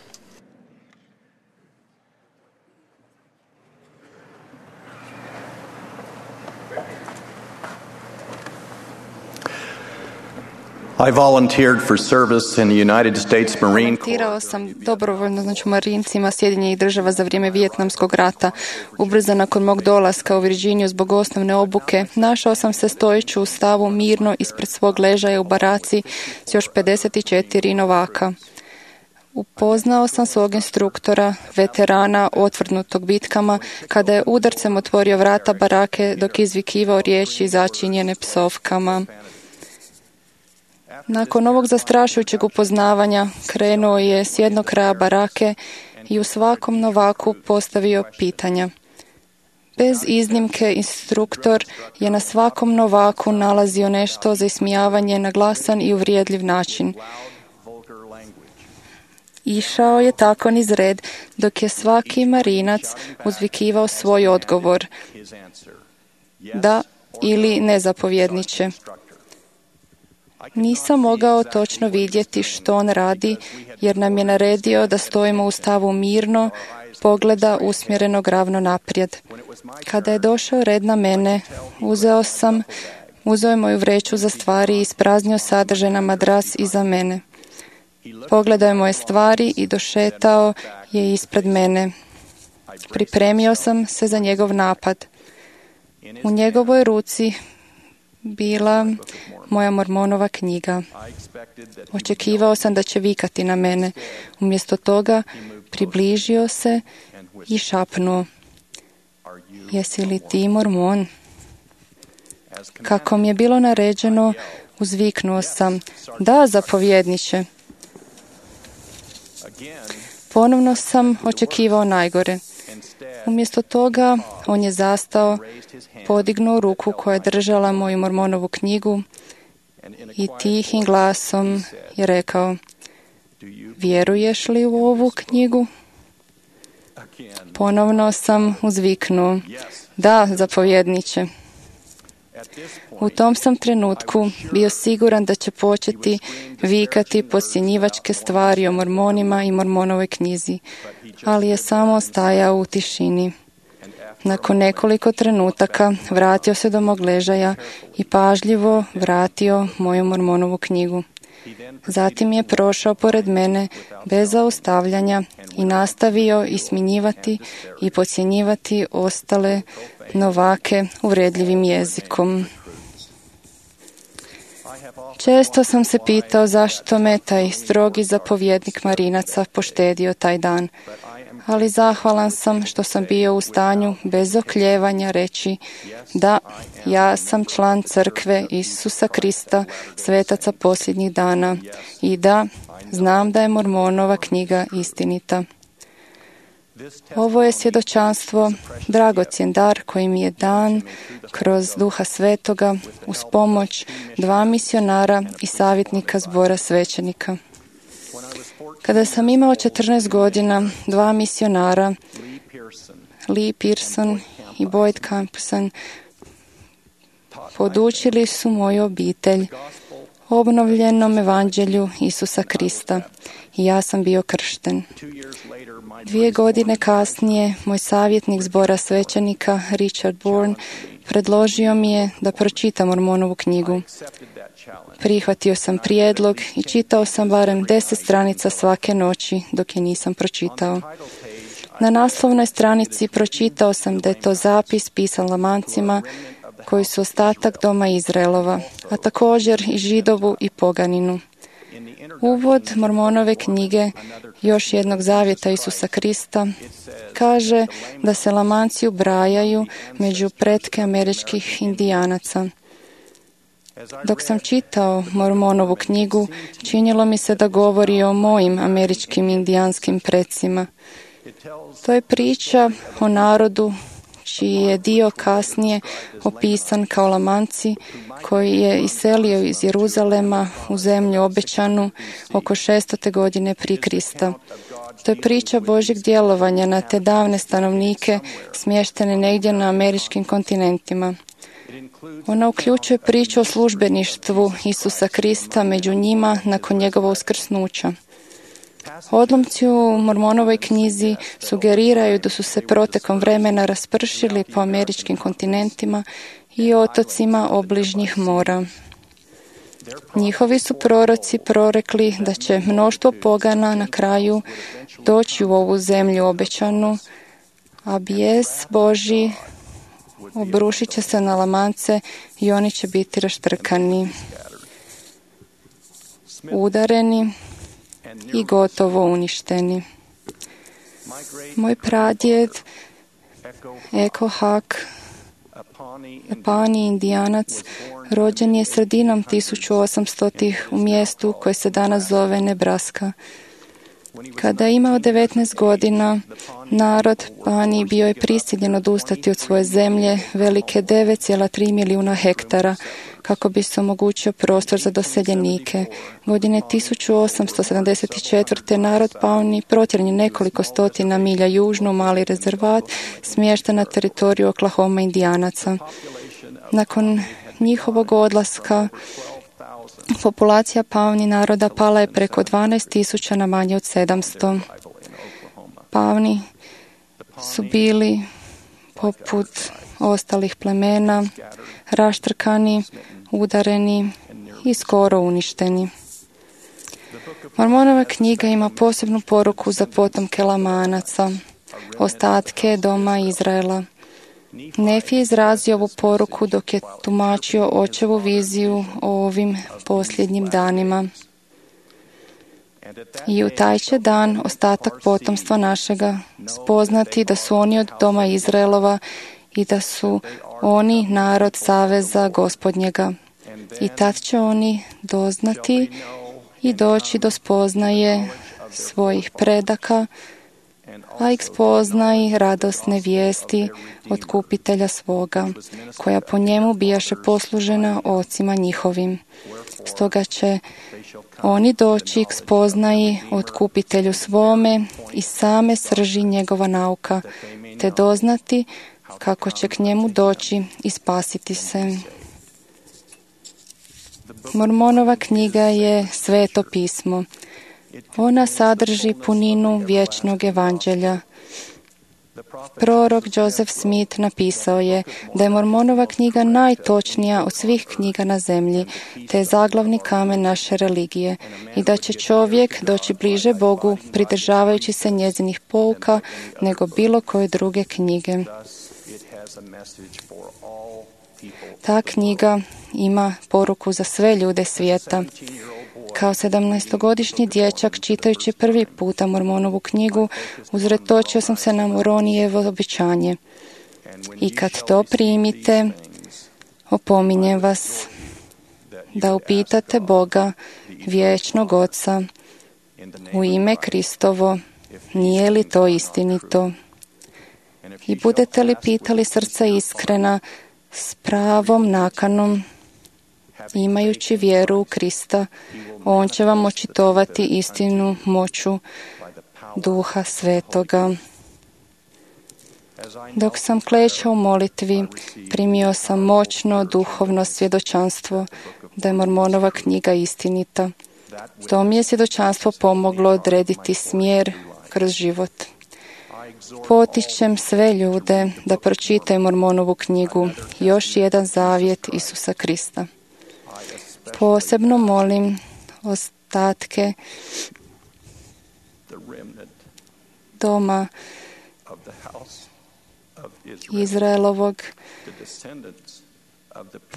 [SPEAKER 1] I volunteered for service in the United States Marine Corps.
[SPEAKER 7] Volontirao sam dobrovoljno, znači u Marincima Sjedinjenih država za vrijeme Vijetnamskog rata. Ubrzo nakon mog dolaska u Virginiju zbog osnovne obuke, našao sam se stojeći u stavu mirno ispred svog ležaja u baraci s još pedeset četiri novaka. Upoznao sam svog instruktora, veterana otvrdnutog bitkama, kada je udarcem otvorio vrata barake dok izvikivao riječi začinjene psovkama. Nakon ovog zastrašujućeg upoznavanja krenuo je s jednog kraja barake i u svakom novaku postavio pitanja. Bez iznimke, instruktor je na svakom novaku nalazio nešto za ismijavanje na glasan i uvrijedljiv način. Išao je tako niz red, dok je svaki marinac uzvikivao svoj odgovor. Da ili ne, zapovjedniče. Nisam mogao točno vidjeti što on radi, jer nam je naredio da stojimo u stavu mirno, pogleda usmjerenog ravno naprijed. Kada je došao red na mene, uzeo sam, uzeo je moju vreću za stvari i ispraznio sadržaj na madras iza mene. Pogledao je moje stvari i došetao je ispred mene. Pripremio sam se za njegov napad. U njegovoj ruci bila moja Mormonova knjiga. Očekivao sam da će vikati na mene. Umjesto toga približio se i šapnuo: jesi li ti Mormon? Kako mi je bilo naređeno, uzviknuo sam: da, zapovjedniče. Ponovno sam očekivao najgore. Umjesto toga, on je zastao, podignuo ruku koja je držala moju Mormonovu knjigu i tihim glasom je rekao: vjeruješ li u ovu knjigu? Ponovno sam uzviknuo: da, zapovjedniče. U tom sam trenutku bio siguran da će početi vikati podcjenjivačke stvari o Mormonima i Mormonovoj knjizi, ali je samo stajao u tišini. Nakon nekoliko trenutaka vratio se do mog ležaja i pažljivo vratio moju Mormonovu knjigu. Zatim je prošao pored mene bez zaustavljanja i nastavio ismjenjivati i podcjenjivati ostale novake uvredljivim jezikom. Često sam se pitao zašto me taj strogi zapovjednik marinaca poštedio taj dan, ali zahvalan sam što sam bio u stanju bez okljevanja reći: da, ja sam član crkve Isusa Krista, svetaca posljednjih dana, i da, znam da je Mormonova knjiga istinita. Ovo je svjedočanstvo, dragocjen dar koji mi je dan kroz Duha Svetoga uz pomoć dva misionara i savjetnika zbora svećenika. Kada sam imao četrnaest godina, dva misionara, Lee Pearson i Boyd Campson, podučili su moju obitelj obnovljenom evanđelju Isusa Krista i ja sam bio kršten. Dvije godine kasnije, moj savjetnik zbora svećenika, Richard Bourne, predložio mi je da pročitam Mormonovu knjigu. Prihvatio sam prijedlog i čitao sam barem deset stranica svake noći dok je nisam pročitao. Na naslovnoj stranici pročitao sam da je to zapis pisan Lamancima koji su ostatak doma Izraelova, a također i Židovu i poganinu. Uvod Mormonove knjige, još jednog zavjeta Isusa Krista, kaže da se Lamanci ubrajaju među pretke američkih indijanaca. Dok sam čitao Mormonovu knjigu, činilo mi se da govori o mojim američkim indijanskim precima. To je priča o narodu čiji je dio kasnije opisan kao Lamanci, koji je iselio iz Jeruzalema u zemlju obećanu oko šestote godine prije Krista. To je priča Božjeg djelovanja na te davne stanovnike smještene negdje na američkim kontinentima. Ona uključuje priču o službeništvu Isusa Krista među njima nakon njegova uskrsnuća. Odlomci u Mormonovoj knjizi sugeriraju da su se protekom vremena raspršili po američkim kontinentima i otocima obližnjih mora. Njihovi su proroci prorekli da će mnoštvo pogana na kraju doći u ovu zemlju obećanu, a bijes Božji obrušit će se na Lamance i oni će biti raštrkani, udareni i gotovo uništeni. Moj pradjed, Echo Hak, Apani Indijanac, rođen je sredinom tisuću osamstotih u mjestu koje se danas zove Nebraska. Kada je imao devetnaest godina, narod Pani bio je prisiljen odustati od svoje zemlje velike devet zarez tri milijuna hektara kako bi se omogućio prostor za doseljenike. Godine tisuću osamsto sedamdeset četvrte. narod Pauni protjeran je nekoliko stotina milja južno u mali rezervat smješten na teritoriju Oklahoma Indijanaca. Nakon njihovog odlaska populacija Pauni naroda pala je preko dvanaest tisuća na manje od sedamsto. Pauni su bili poput ostalih plemena, raštrkani, udareni i skoro uništeni. Mormonova knjiga ima posebnu poruku za potomke Lamanaca, ostatke doma Izraela. Nefi je izrazio ovu poruku dok je tumačio očevu viziju o ovim posljednjim danima. I u taj će dan ostatak potomstva našega spoznati da su oni od doma Izraelova i da su oni narod saveza Gospodnjega. I tad će oni doznati i doći do spoznaje svojih predaka, a ih spoznaj radosne vijesti od kupitelja svoga, koja po njemu bijaše poslužena ocima njihovim. Stoga će oni doći k spoznaji od kupitelju svome i same srži njegova nauka, te doznati kako će k njemu doći i spasiti se. Mormonova knjiga je sveto pismo. Ona sadrži puninu vječnog evanđelja. Prorok Joseph Smith napisao je da je Mormonova knjiga najtočnija od svih knjiga na zemlji, te je zaglavni kamen naše religije i da će čovjek doći bliže Bogu pridržavajući se njezinih pouka nego bilo koje druge knjige. Ta knjiga ima poruku za sve ljude svijeta. Kao sedamnaestogodišnji dječak, čitajući prvi puta Mormonovu knjigu, uzretočio sam se na Moronijevo obećanje. I kad to primite, opominjem vas da upitate Boga, vječnog Oca, u ime Kristovo, nije li to istinito? I budete li pitali srca iskrena, s pravom nakanom, imajući vjeru u Krista, On će vam očitovati istinu moću Duha Svetoga. Dok sam klečao u molitvi, primio sam moćno duhovno svjedočanstvo da je Mormonova knjiga istinita. To mi je svjedočanstvo pomoglo odrediti smjer kroz život. Potičem sve ljude da pročitaju Mormonovu knjigu, još jedan zavjet Isusa Krista. Posebno molim ostatke doma Izraelovog,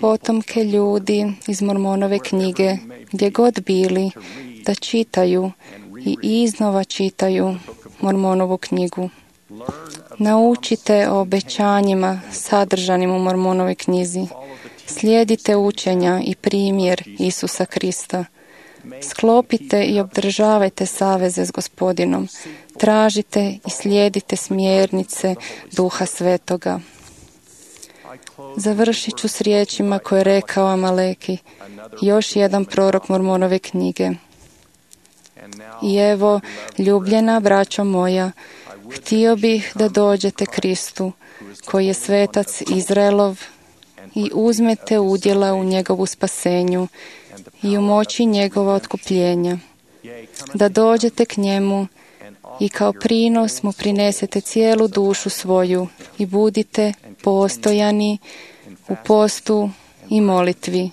[SPEAKER 7] potomke ljudi iz Mormonove knjige, gdje god bili, da čitaju i iznova čitaju Mormonovu knjigu. Naučite o obećanjima sadržanim u Mormonovoj knjizi. Slijedite učenja i primjer Isusa Krista. Sklopite i obdržavajte saveze s Gospodinom. Tražite i slijedite smjernice Duha Svetoga. Završit ću s riječima koje je rekao Amaleki, još jedan prorok Mormonove knjige. I evo, ljubljena braćo moja, htio bih da dođete Kristu, koji je svetac Izraelov, i uzmete udjela u njegovu spasenju i u moći njegova otkupljenja. Da dođete k njemu i kao prinos mu prinesete cijelu dušu svoju i budite postojani u postu i molitvi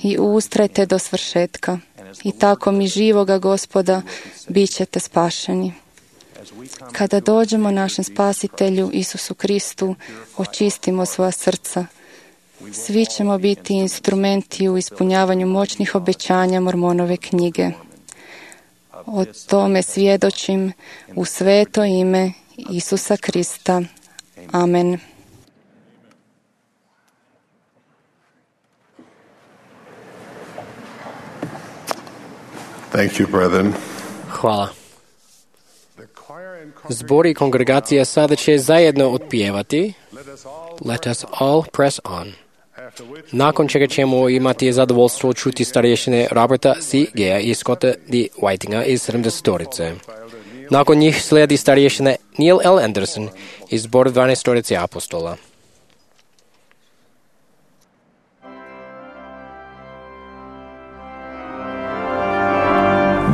[SPEAKER 7] i ustrajte do svršetka. I tako mi živoga Gospoda bit ćete spašeni. Kada dođemo našem Spasitelju Isusu Kristu, očistimo svoja srca. Svi ćemo biti instrumenti u ispunjavanju moćnih obećanja Mormonove knjige. O tome svjedočim u sveto ime Isusa Krista. Amen.
[SPEAKER 3] Thank you, brethren.
[SPEAKER 2] Hvala. Zbor i kongregacija sada će zajedno otpjevati Let us all press on. Nakon čega ćemo imati zadovoljstvo čuti starješine Roberta C. Gea i Scotta D. Whitinga iz sedamdesetorice. Nakon njih slijedi starješine Neil L. Anderson iz zbora dvanaestorice apostola.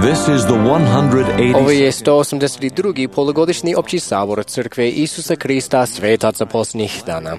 [SPEAKER 8] This is the one hundred eighty
[SPEAKER 2] Ovo je sto osamdeset drugi polugodišnji opći sabor Crkve Isusa Krista svetaca posljednjih dana.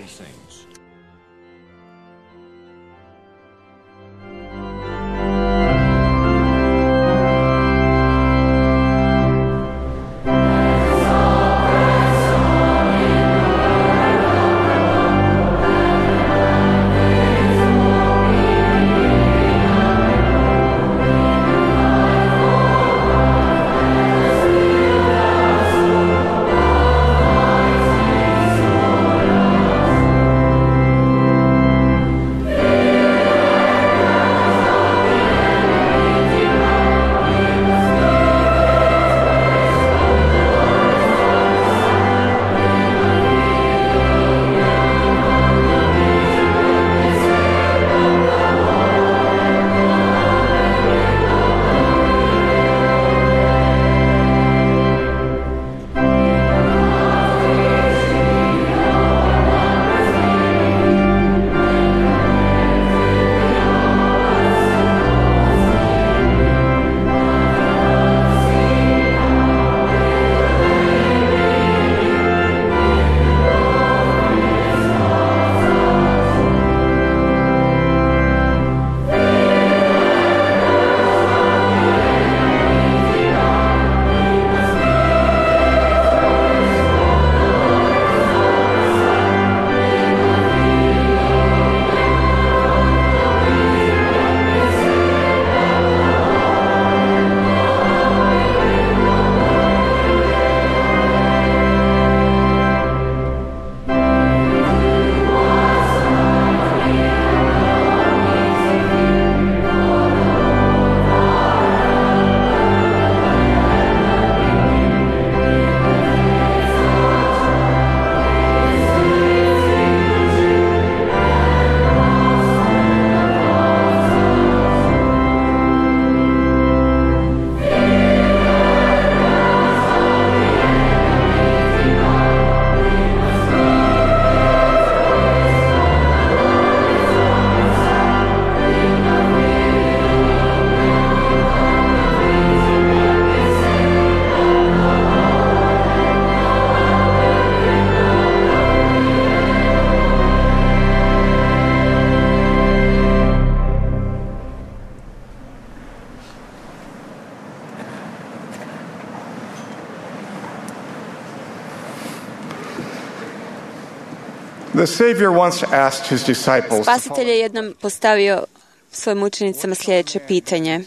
[SPEAKER 9] The Savior once asked his disciples,
[SPEAKER 10] Spasitelj je jednom postavio svojim učenicama sljedeće pitanje.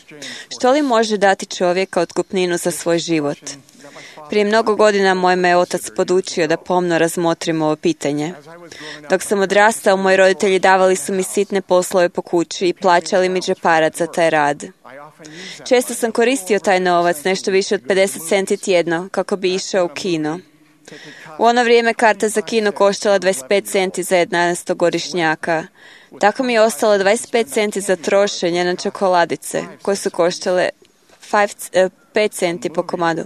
[SPEAKER 10] Što li može dati čovjeka otkupninu za svoj život? Prije mnogo godina moj me otac podučio da pomno razmotrim ovo pitanje. Dok sam odrastao, moji roditelji davali su mi sitne poslove po kući i plaćali mi džeparac za taj rad. Često sam koristio taj novac, nešto više od pedeset centi tjedno, kako bi išao u kino. U ono vrijeme karta za kino koštala dvadeset pet centi za jedanaestogodišnjaka. Tako mi je ostalo dvadeset pet centi za trošenje na čokoladice, koje su koštale pet centi po komadu.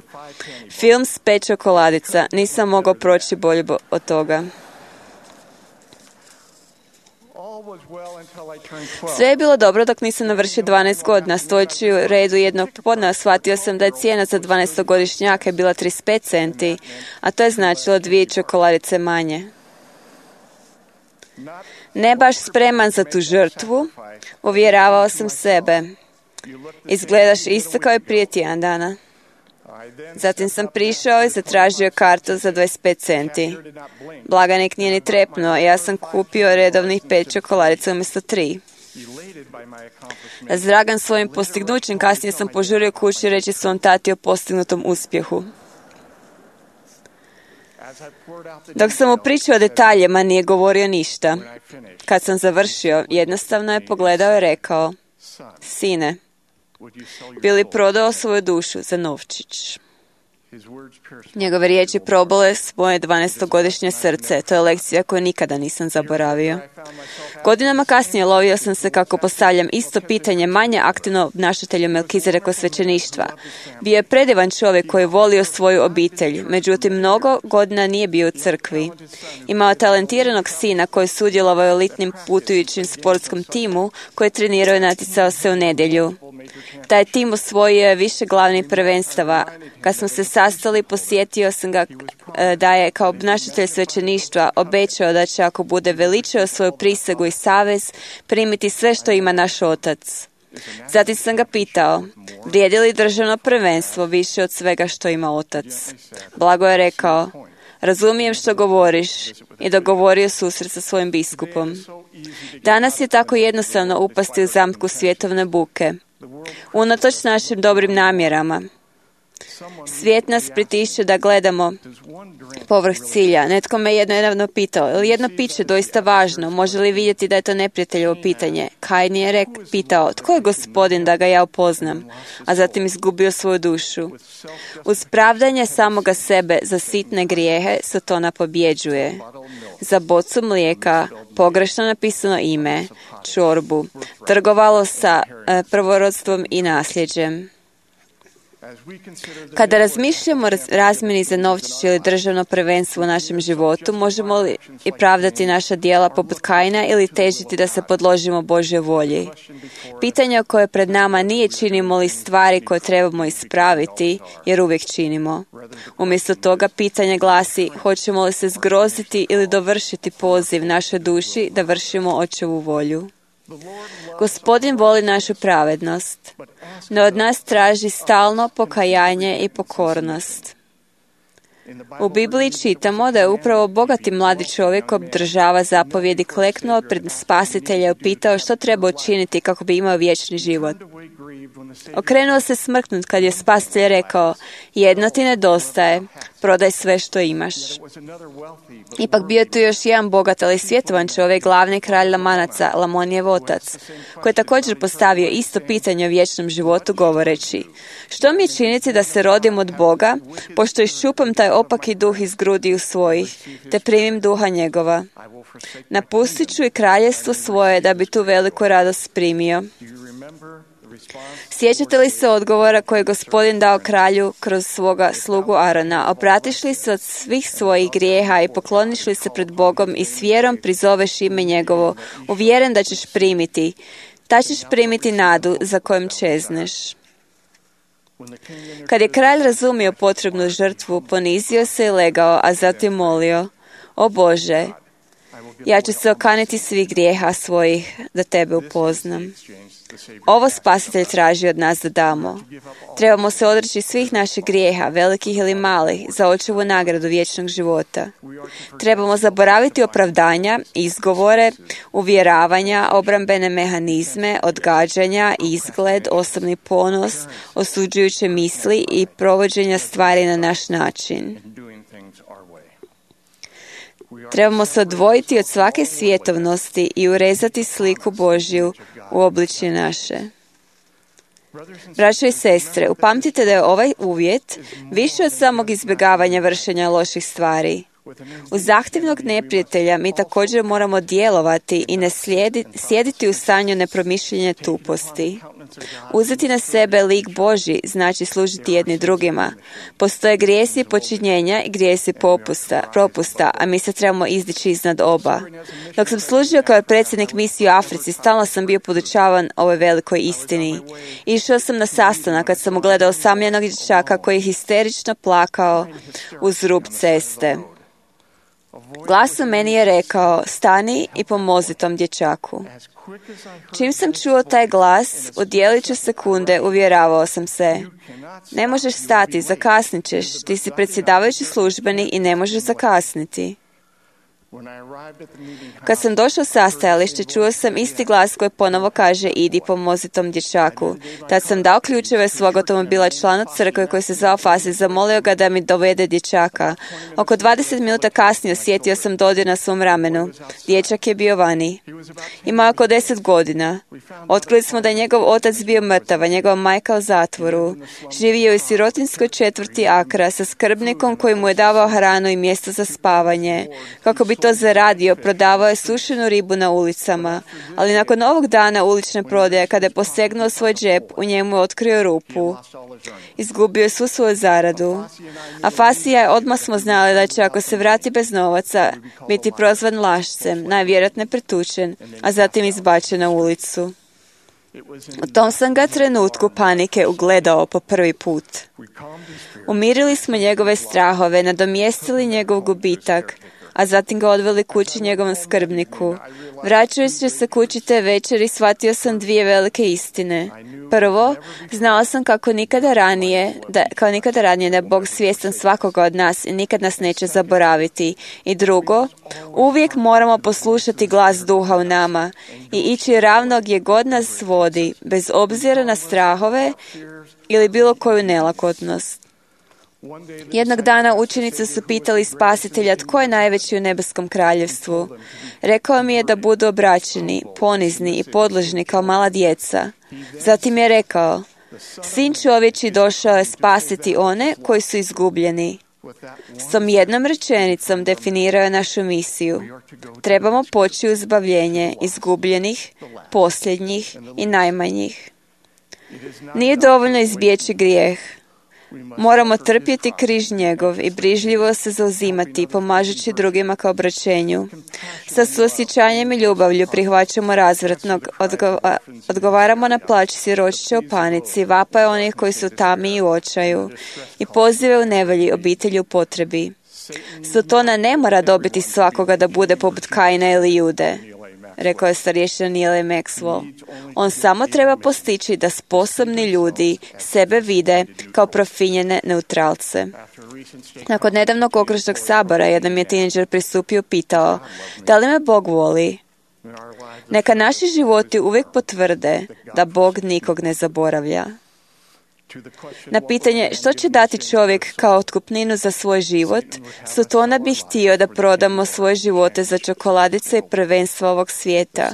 [SPEAKER 10] Film s pet čokoladica. Nisam mogao proći bolje od toga. Sve je bilo dobro dok nisam navršio dvanaest godina. Stojeći u redu jednog popodneva shvatio sam da je cijena za dvanaestogodišnjaka bila trideset pet centi, a to je značilo dvije čokoladice manje. Ne baš spreman za tu žrtvu, uvjeravao sam sebe. Izgledaš isto kao i prije tjedan dana. Zatim sam prišao i zatražio kartu za dvadeset pet centi. Blagajnik nije ni trepnuo, ja sam kupio redovnih pet čokoladica umjesto tri. Razdragan svojim postignućem, kasnije sam požurio kući reći svom tati o postignutom uspjehu. Dok sam mu pričao o detaljima, nije govorio ništa. Kad sam završio, jednostavno je pogledao i rekao: Sine, bi li prodao svoju dušu za novčić? Njegove riječi probole svoje dvanaestogodišnje srce. To je lekcija koju nikada nisam zaboravio. Godinama kasnije lovio sam se kako postavljam isto pitanje manje aktivno obnašatelju Melkizedekov svećeništva. Bio je predivan čovjek koji je volio svoju obitelj, međutim mnogo godina nije bio u crkvi. Imao talentiranog sina koji je sudjelovao u elitnim putujućim sportskom timu koji je trenirao i natjecao se u nedjelju. Taj tim osvojio je više glavnih prvenstava. Kad smo se sastali, posjetio sam ga da je kao obnašatelj svećeništva obećao da će, ako bude veličao svoju prisegu i savez, primiti sve što ima naš otac. Zatim sam ga pitao, vrijedi li državno prvenstvo više od svega što ima otac? Blago je rekao, razumijem što govoriš, i dogovorio susret sa svojim biskupom. Danas je tako jednostavno upasti u zamku svjetovne buke. Unatoč našim dobrim namjerama, svijet nas pritišće da gledamo povrh cilja. Netko me jedno jedno pitao, je li jedno piće doista važno? Može li vidjeti da je to neprijateljevo pitanje? Kain je rek, pitao, tko je Gospodin da ga ja upoznam? A zatim izgubio svoju dušu. Uz pravdanje samoga sebe za sitne grijehe Satana pobjeđuje. Za bocu mlijeka, pogrešno napisano ime, čorbu, trgovalo sa e, prvorodstvom i nasljeđem. Kada razmišljamo o razmjeni za novčić ili državno prvenstvo u našem životu, možemo li i pravdati naša djela poput Kaina ili težiti da se podložimo Božjoj volji? Pitanje koje pred nama nije činimo li stvari koje trebamo ispraviti, jer uvijek činimo. Umjesto toga pitanje glasi, hoćemo li se zgroziti ili dovršiti poziv našoj duši da vršimo Očevu volju? Gospodin voli našu pravednost, no od nas traži stalno pokajanje i pokornost. U Bibliji čitamo da je upravo bogati mladi čovjek obdržava zapovjedi kleknuo pred Spasitelja i upitao što treba učiniti kako bi imao vječni život. Okrenuo se smrknut kad je Spasitelj rekao, jedno ti nedostaje, prodaj sve što imaš. Ipak bio tu još jedan bogat, ali svjetovan čovjek, glavni kralj Lamanaca, Lamonijev otac, koji je također postavio isto pitanje o vječnom životu govoreći, što mi je činiti da se rodim od Boga, pošto iščupam taj opaki duh iz grudiju svojih, te primim duha njegova. Napustit ću i kraljestvo svoje da bi tu veliku radost primio. Sjećate li se odgovora koji je Gospodin dao kralju kroz svoga slugu Arona? Obratiš li se od svih svojih grijeha i pokloniš li se pred Bogom i s vjerom prizoveš ime njegovo, uvjeren da ćeš primiti, ta ćeš primiti nadu za kojom čezneš. Kad je kralj razumio potrebnu žrtvu, ponizio se i legao, a zatim molio, o Bože, ja ću se okaniti svih grijeha svojih da tebe upoznam. Ovo Spasitelj traži od nas da damo. Trebamo se odreći svih naših grijeha, velikih ili malih, za Očevu nagradu vječnog života. Trebamo zaboraviti opravdanja, izgovore, uvjeravanja, obrambene mehanizme, odgađanja, izgled, osobni ponos, osuđujuće misli i provođenja stvari na naš način. Trebamo se odvojiti od svake svjetovnosti i urezati sliku Božju u obličje naše. Braćo i sestre, upamtite da je ovaj uvjet više od samog izbjegavanja vršenja loših stvari. Uz zahtjevnog neprijatelja mi također moramo djelovati i ne slijedi, sjediti u stanju nepromišljenja tuposti. Uzeti na sebe lik Božji znači služiti jedni drugima. Postoje grijesi počinjenja i grijesi popusta, propusta, a mi se trebamo izdići iznad oba. Dok sam služio kao predsjednik misije u Africi, stalno sam bio podučavan ovoj velikoj istini. Išao sam na sastanak kad sam ugledao osamljenog dječaka koji je histerično plakao uz rub ceste. Glas u meni je rekao, stani i pomozi tom dječaku. Čim sam čuo taj glas, u djeliću sekunde uvjeravao sam se. Ne možeš stati, zakasnit ćeš, ti si predsjedavajući službenik i ne možeš zakasniti. Kad sam došao sa stajalište, čuo sam isti glas koji ponovo kaže idi pomozi tom dječaku. Tad sam dao ključeve svog automobila članu crkve koji se zvao Fasi i zamolio ga da mi dovede dječaka. Oko dvadeset minuta kasnije osjetio sam dodir na svom ramenu. Dječak je bio vani. Imao oko deset godina. Otkrili smo da je njegov otac bio mrtav, a njegova majka u zatvoru. Živio je u sirotinskoj četvrti Akra sa skrbnikom koji mu je davao hranu i mjesto za spavanje. Kako bi to zaradio, prodavao je sušenu ribu na ulicama, ali nakon ovog dana ulične prodaje, kada je posegnuo svoj džep, u njemu je otkrio rupu. Izgubio je svu svoju zaradu. A Fasija je, odmah smo znali da će, ako se vrati bez novaca, biti prozvan lašcem, najvjerojatnije pretučen, a zatim izbačen na ulicu. U tom sam ga trenutku panike ugledao po prvi put. Umirili smo njegove strahove, nadomjestili njegov gubitak, a zatim ga odveli kući njegovom skrbniku. Vraćajući se kući te večeri, shvatio sam dvije velike istine. Prvo, znao sam kako nikada ranije, da, kao nikada ranije da je Bog svjestan svakoga od nas i nikad nas neće zaboraviti. I drugo, uvijek moramo poslušati glas duha u nama i ići ravno gdje god nas vodi, bez obzira na strahove ili bilo koju nelakotnost. Jednog dana učenici su pitali Spasitelja tko je najveći u nebeskom kraljevstvu. Rekao mi je da budu obraćeni, ponizni i podložni kao mala djeca. Zatim je rekao, Sin čovječji došao je spasiti one koji su izgubljeni. S tom jednom rečenicom definirao je našu misiju. Trebamo poći u izbavljenje izgubljenih, posljednjih i najmanjih. Nije dovoljno izbjeći grijeh. Moramo trpjeti križ njegov i brižljivo se zauzimati, pomažući drugima kao obraćenju. Sa suosjećanjem i ljubavlju prihvaćamo razvratnog, odgova, odgovaramo na plać siročića u panici, vapaje onih koji su tami i u očaju i pozive u nevolji obitelji u potrebi. Sotona ne mora dobiti svakoga da bude poput Kaina ili Jude, rekao je starješina Neil Maxwell. On samo treba postići da sposobni ljudi sebe vide kao profinjene neutralce. Nakon nedavnog okružnog sabora, jedan je tineđer pristupio i pitao, da li me Bog voli? Neka naši životi uvijek potvrde da Bog nikog ne zaboravlja. Na pitanje što će dati čovjek kao otkupninu za svoj život, Sotona bi htio da prodamo svoje živote za čokoladice i prvenstva ovog svijeta.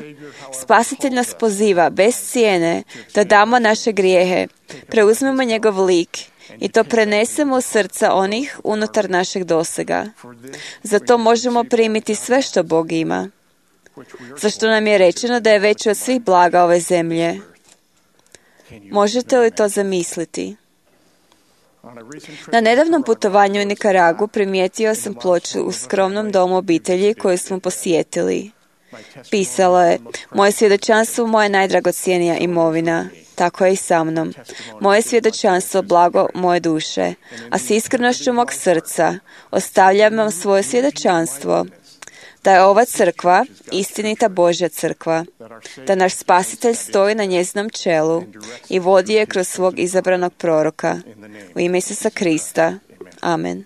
[SPEAKER 10] Spasitelj nas poziva bez cijene da damo naše grijehe, preuzmemo njegov lik i to prenesemo u srca onih unutar našeg dosega. Zato možemo primiti sve što Bog ima, zašto nam je rečeno da je veći od svih blaga ove zemlje. Možete li to zamisliti? Na nedavnom putovanju u Nikaragu primijetio sam ploču u skromnom domu obitelji koju smo posjetili. Pisalo je, moje svjedočanstvo moja najdragocjenija imovina. Tako je i sa mnom. Moje svjedočanstvo blago moje duše, a s iskrenošću mog srca ostavljam vam svoje svjedočanstvo da je ova crkva istinita Božja crkva, da naš Spasitelj stoji na njezinom čelu i vodi je kroz svog izabranog proroka. U ime Isusa Krista. Amen.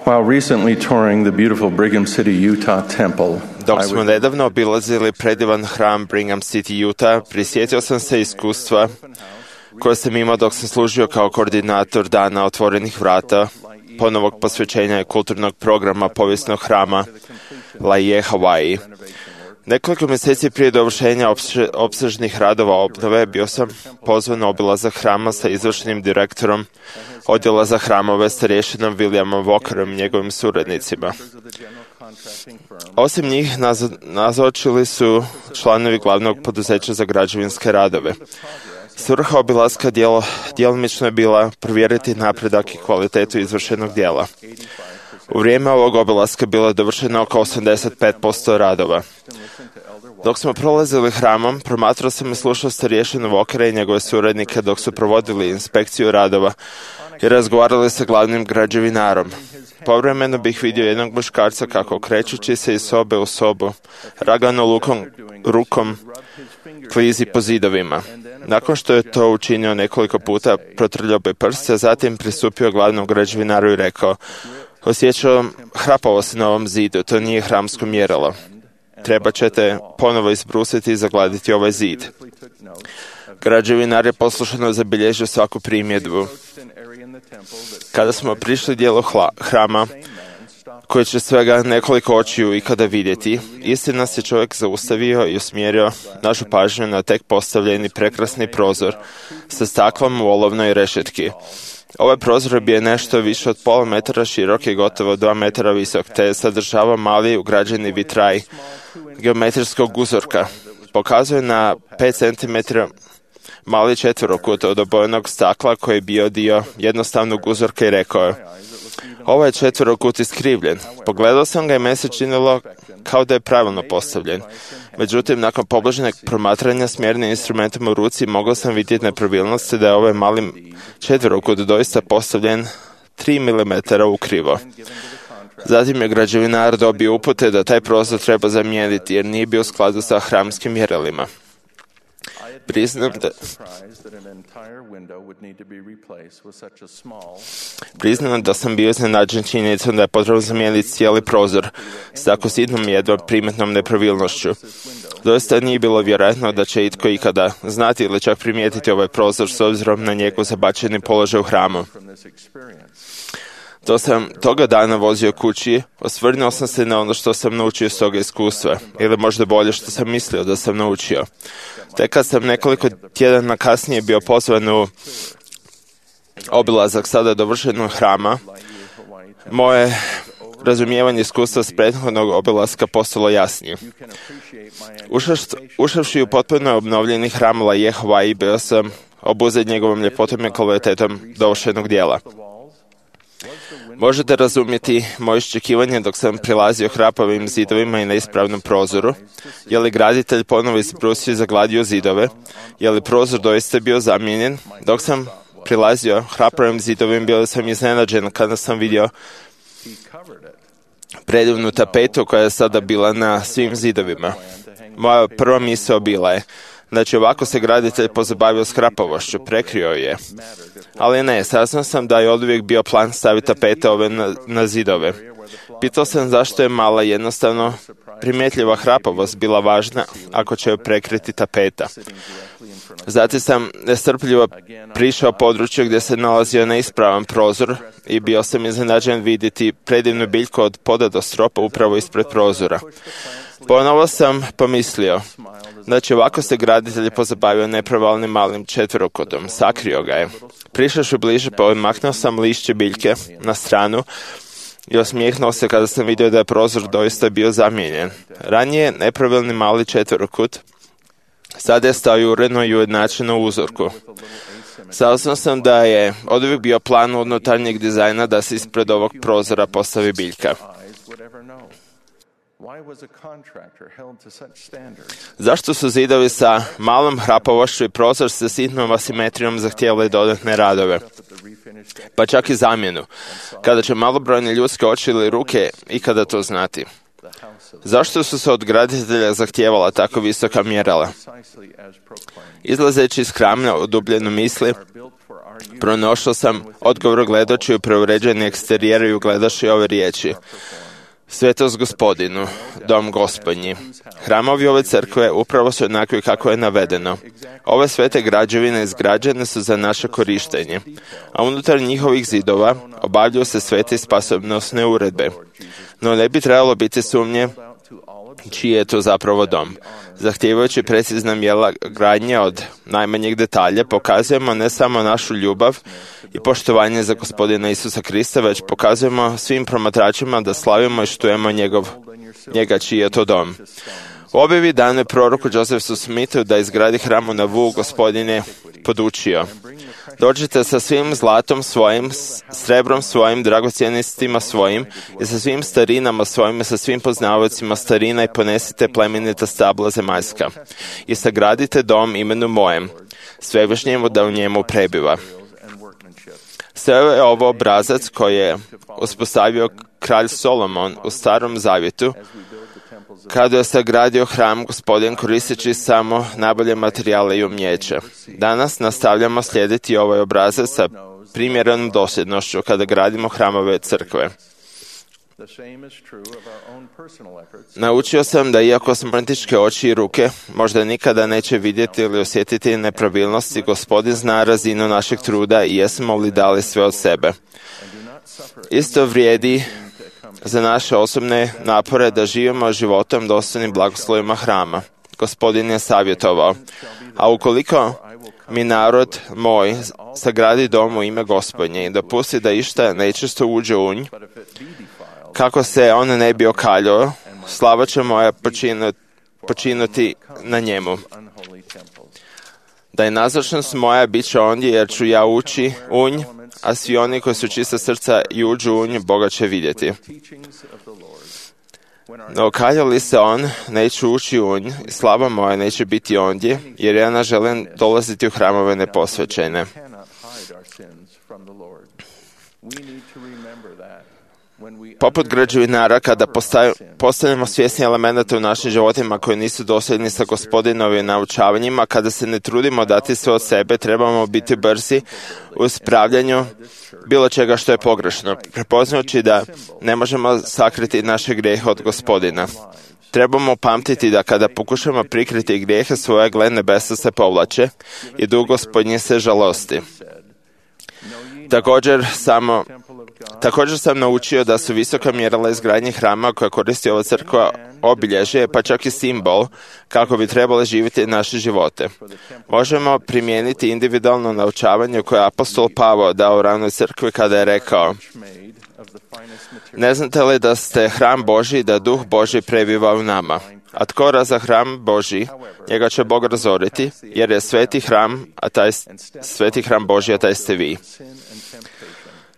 [SPEAKER 8] While recently touring the beautiful Brigham City, Utah temple,
[SPEAKER 11] dok smo nedavno obilazili predivan hram Brigham City, Utah, prisjetio sam se iskustva koje sam imao dok sam služio kao koordinator Dana otvorenih vrata, ponovog posvećenja i kulturnog programa povijesnog hrama Laie Hawaii. Nekoliko mjeseci prije dovršenja opse, opsežnih radova obnove bio sam pozvan na obilazak hrama sa izvršnim direktorom odjela za hramove starješinom Williamom Walkerom i njegovim suradnicima. Osim njih nazo, nazočili su članovi glavnog poduzeća za građevinske radove. Svrha obilaska dijelo, djelomično je bila provjeriti napredak i kvalitetu izvršenog dijela. U vrijeme ovog obilaska bilo je dovršeno oko osamdeset pet posto radova. Dok smo prolazili hramom, promatrao sam i slušao starješinu Walkera i njegove suradnike dok su provodili inspekciju radova i razgovarali sa glavnim građevinarom. Povremeno bih vidio jednog muškarca kako krećući se iz sobe u sobu, ragano lukom, rukom klizi po zidovima. Nakon što je to učinio nekoliko puta, protrljao bi prst, a zatim pristupio glavnom građevinaru i rekao: osjećao hrapavost na ovom zidu, to nije hramsko mjerilo. Treba ćete ponovo izbrusiti i zagladiti ovaj zid. Građevinar je poslušano zabilježio svaku primjedbu. Kada smo prišli dijelu hla, hrama, koji će svega nekoliko očiju ikada vidjeti, isti nas je čovjek zaustavio i usmjerio našu pažnju na tek postavljeni prekrasni prozor sa staklom u olovnoj rešetki. Ovaj prozor bio je nešto više od pola metra širok i gotovo dva metra visok, te je sadržavao mali ugrađeni vitraj geometrijskog uzorka. Pokazuje na pet centimetara mali četverokut od obojenog stakla koji je bio dio jednostavnog uzorka i rekao je: ovaj je četverokut iskrivljen. Pogledao sam ga i meni se činilo kao da je pravilno postavljen. Međutim, nakon pobližnjeg promatranja s mjernim instrumentom u ruci mogao sam vidjeti nepravilnosti da je ovaj mali četverokut doista postavljen tri milimetra ukrivo. Zatim je građevinar dobio upute da taj prozor treba zamijeniti jer nije bio u skladu sa hramskim mjerilima. Priznam da, priznam da sam bio iznenađen činjenicom da je potrebno zamijeniti cijeli prozor s tako sitnom jedva primjetnom nepravilnošću. Doista nije bilo vjerojatno da će itko ikada znati ili čak primijetiti ovaj prozor s obzirom na njegov zabačeni položaj u hramu. To sam toga dana vozio kući, osvrnuo sam se na ono što sam naučio s toga iskustva, ili možda bolje što sam mislio da sam naučio. Tek kad sam nekoliko tjedana kasnije bio pozvan u obilazak sada dovršenog hrama, moje razumijevanje iskustva s prethodnog obilaska postalo jasnije. Ušavši u potpuno obnovljeni hram La Hawaii, bio sam obuzet njegovom ljepotom i kvalitetom dovršenog dijela. Možete razumjeti moje iščekivanje dok sam prilazio hrapavim zidovima i neispravnom prozoru. Je li graditelj ponovo izbrusio i zagladio zidove? Je li prozor doista bio zamijenjen? Dok sam prilazio hrapavim zidovima, bio sam iznenađen kada sam vidio predivnu tapetu koja je sada bila na svim zidovima. Moja prva misao bila je: znači, ovako se graditelj pozabavio s hrapavošću, prekrio je. Ali ne, saznao sam da je oduvijek bio plan staviti tapete ove na, na zidove. Pitao sam zašto je mala jednostavno primjetljiva hrapavost bila važna ako će joj prekriti tapeta. Zatim sam nestrpljivo prišao području gdje se nalazio neispravan prozor i bio sam iznenađen vidjeti predivnu biljku od poda do stropa upravo ispred prozora. Ponovo sam pomislio: znači, ovako se graditelj pozabavio nepravilnim malim četverokutom, sakrio ga je. Prišavši bliže, pomaknuo sam lišće biljke na stranu i osmijehnuo se kada sam vidio da je prozor doista bio zamijenjen. Ranije nepravilni mali četverokut sada je stao uredno i ujednačeno u uzorku. Saznao sam da je oduvijek bio plan unutarnjeg dizajna da se ispred ovog prozora postavi biljka. Zašto su zidovi sa malom hrapavošću i prozor sa sitnom asimetrijom zahtijevali dodatne radove, pa čak i zamjenu, kada će malobrojne ljudske oči ili ruke ikada to znati? Zašto su se od graditelja zahtijevala tako visoka mjerila? Izlazeći iz hrama u dubljenu misli, pronašao sam odgovor gledajući u preuređeni eksterijer i ugledaši ove riječi: Svetost Gospodinu, dom Gospodnji. Hramovi ove crkve upravo su jednakvi kako je navedeno. Ove svete građevine izgrađene su za naše korištenje, a unutar njihovih zidova obavljaju se svete i spasonosne uredbe. No ne bi trebalo biti sumnje čiji je to zapravo dom. Zahtijevajući precizna mjera gradnje od najmanjeg detalja, pokazujemo ne samo našu ljubav i poštovanje za Gospodina Isusa Krista, već pokazujemo svim promatračima da slavimo i štujemo njegov, njega čiji je to dom. U objavi danoj proroku Josefu Smithu da izgradi hram u Navu, Gospodin je podučio: dođite sa svim zlatom svojim, srebrom svojim, dragocjenostima svojim i sa svim starinama svojim i sa svim poznavaocima starina i ponesite plemenita stabla zemaljska i sagradite dom imenu mojem, svevišnjemu da u njemu prebiva. Sve je ovo obrazac koji je uspostavio kralj Solomon u Starom Zavjetu kada je sagradio hram Gospodin koristeći samo najbolje materijale i umjeće. Danas nastavljamo slijediti ovaj obrazac sa primjerenom dosljednošću kada gradimo hramove crkve. Naučio sam da iako smrtičke oči i ruke možda nikada neće vidjeti ili osjetiti nepravilnosti, Gospodin zna razinu našeg truda i jesmo li dali sve od sebe. Isto vrijedi za naše osobne napore da živimo životom dostojnim blagoslovima hrama. Gospodin je savjetovao, a ukoliko mi narod moj sagradi dom u ime Gospodnje i dopusti da išta nečisto uđe u nj, kako se on ne bi okaljao, slava će moja počinu, počinuti na njemu. Da je nazočnost moja bit će ondje, jer ću ja ući u nj, a svi oni koji su čista srca i uđu u nj, Boga će vidjeti. No okalja li se on, neću ući u nj, i slava moja neće biti ondje, jer ja ne želim dolaziti u hramove neposvećene. Poput građevinara, kada postavljamo svjesni elemenata u našim životima koji nisu dosljedni sa Gospodinovim naučavanjima, kada se ne trudimo dati sve od sebe, trebamo biti brzi u ispravljanju bilo čega što je pogrešno, prepoznajući da ne možemo sakriti naše grijehe od Gospodina. Trebamo pamtiti da kada pokušamo prikriti grijehe svoje, gle nebesa se povlače i duh Gospodnji se žalosti. Također samo Također sam naučio da su visoka mjerila izgradnje hrama koja koristi ova crkva obilježje, pa čak i simbol kako bi trebali živjeti naše živote. Možemo primijeniti individualno naučavanje koje je apostol Pavao dao u ranoj crkvi kada je rekao: ne znate li da ste hram Božji i da duh Božji prebiva u nama? A tko raza hram Božji, njega će Bog razoriti, jer je sveti hram, a taj sveti hram Božji, a taj ste vi.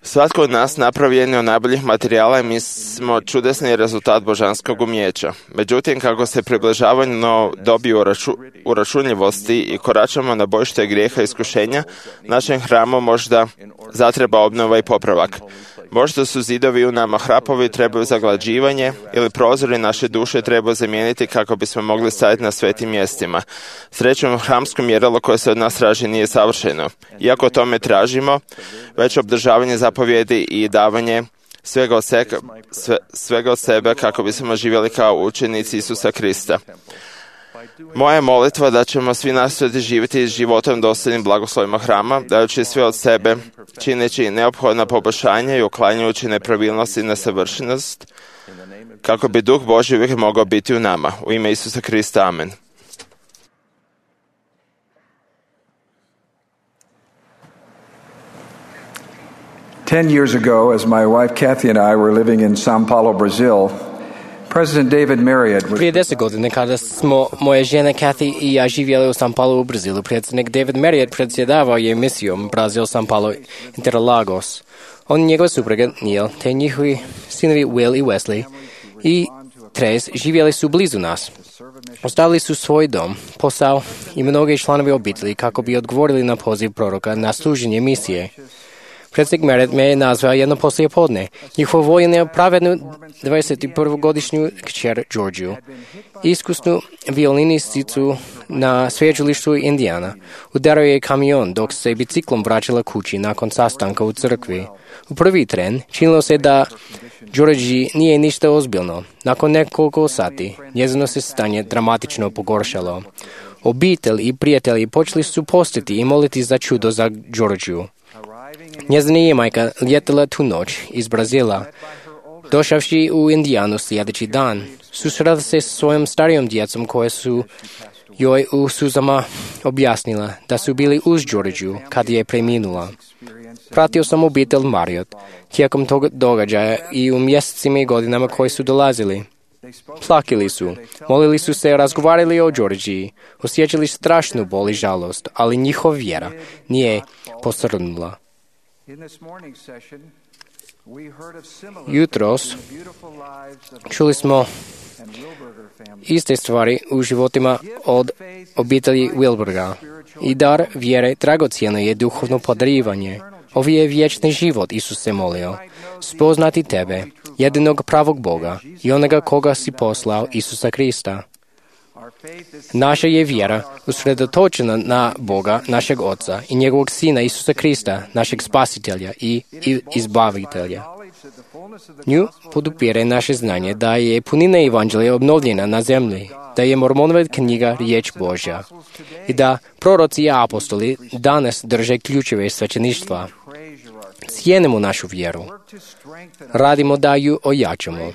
[SPEAKER 11] Svatko od nas napravljen je od najboljih materijala i mi smo čudesni rezultat božanskog umjeća. Međutim, kako se približavamo dobi uraču, uračunljivosti i koračamo na bojište grijeha i iskušenja, našem hramu možda zatreba obnova i popravak. Možda su zidovi u nama hrapovi, trebaju zaglađivanje, ili prozori naše duše trebaju zamijeniti kako bismo mogli staviti na svetim mjestima. Srećom, hramsko mjerilo koje se od nas traži nije savršeno. Iako tome tražimo, već obdržavanje zapovjedi i davanje svega od, sebe, sve, svega od sebe kako bismo živjeli kao učenici Isusa Krista. Moja je molitva da ćemo svi nastojati živjeti životom dosljednim blagoslovima hrama, dajući sve od sebe, čineći neophodna poboljšanja i uklanjajući nepravilnosti i nesavršenost, kako bi Duh Božji uvijek mogao biti u nama. U ime Isusa Krista, amen.
[SPEAKER 12] Ten years ago, as my wife Kathy and I were living in São Paulo, Brazil, President David Marriott was...
[SPEAKER 2] Prije deset godine, kada smo moje žene Kathy i ja živjeli u São Paulo u Brazilu, predsjednik David Marriott predsjedavao je misijom Brazil, São Paulo, Interlagos. On i njegova supruga Neil, te njihovi sinovi Will i Wesley i Trace živjeli su blizu nas. Ostavili su svoj dom, posao i mnoge članovi obitelji kako bi odgovorili na poziv proroka na služenje misije. Predsjednik Marriott me je nazvao jedno poslije podne. Njihov vojen je pravednu dvadesetprvogodišnju kćer Georgiju, iskusnu violinisticu na sveučilištu Indijana. Udario je kamion dok se biciklom vraćala kući nakon sastanka u crkvi. U prvi tren činilo se da Georgiji nije ništa ozbiljno. Nakon nekoliko sati njezino se stanje dramatično pogoršalo. Obitelj i prijatelji počeli su postiti i moliti za čudo za Georgiju. Njezina je majka ljetala tu noć iz Brazila. Došavši u Indijanu sljedeći dan, susrela se s svojom starijom djecom koje su joj u suzama objasnila da su bili uz Georgiju kad je preminula. Pratio sam obitelj Marriott tijekom tog događaja i u mjesecima i godinama koji su dolazili. Plakali su, molili su se, razgovarali o Georgiji, osjećali strašnu bol i žalost, ali njihova vjera nije posrnula. Jutros čuli smo iste stvari u životima od obitelji Wilberga. I dar vjere dragocjeno je duhovno podarivanje. Ovo je vječni život, Isus se molio. spoznati tebe, jedinog pravog Boga i onoga koga si poslao, Isusa Krista. Naša je vjera usredotočena na Boga, našeg Oca i njegovog Sina Isusa Krista, našeg Spasitelja i Izbavitelja. Nju podupire naše znanje da je punina Evanđelja obnovljena na zemlji, da je Mormonova knjiga riječ Božja i da proroci i apostoli danas drže ključeve svećeništva. Cijenimo našu vjeru. Radimo da ju ojačamo.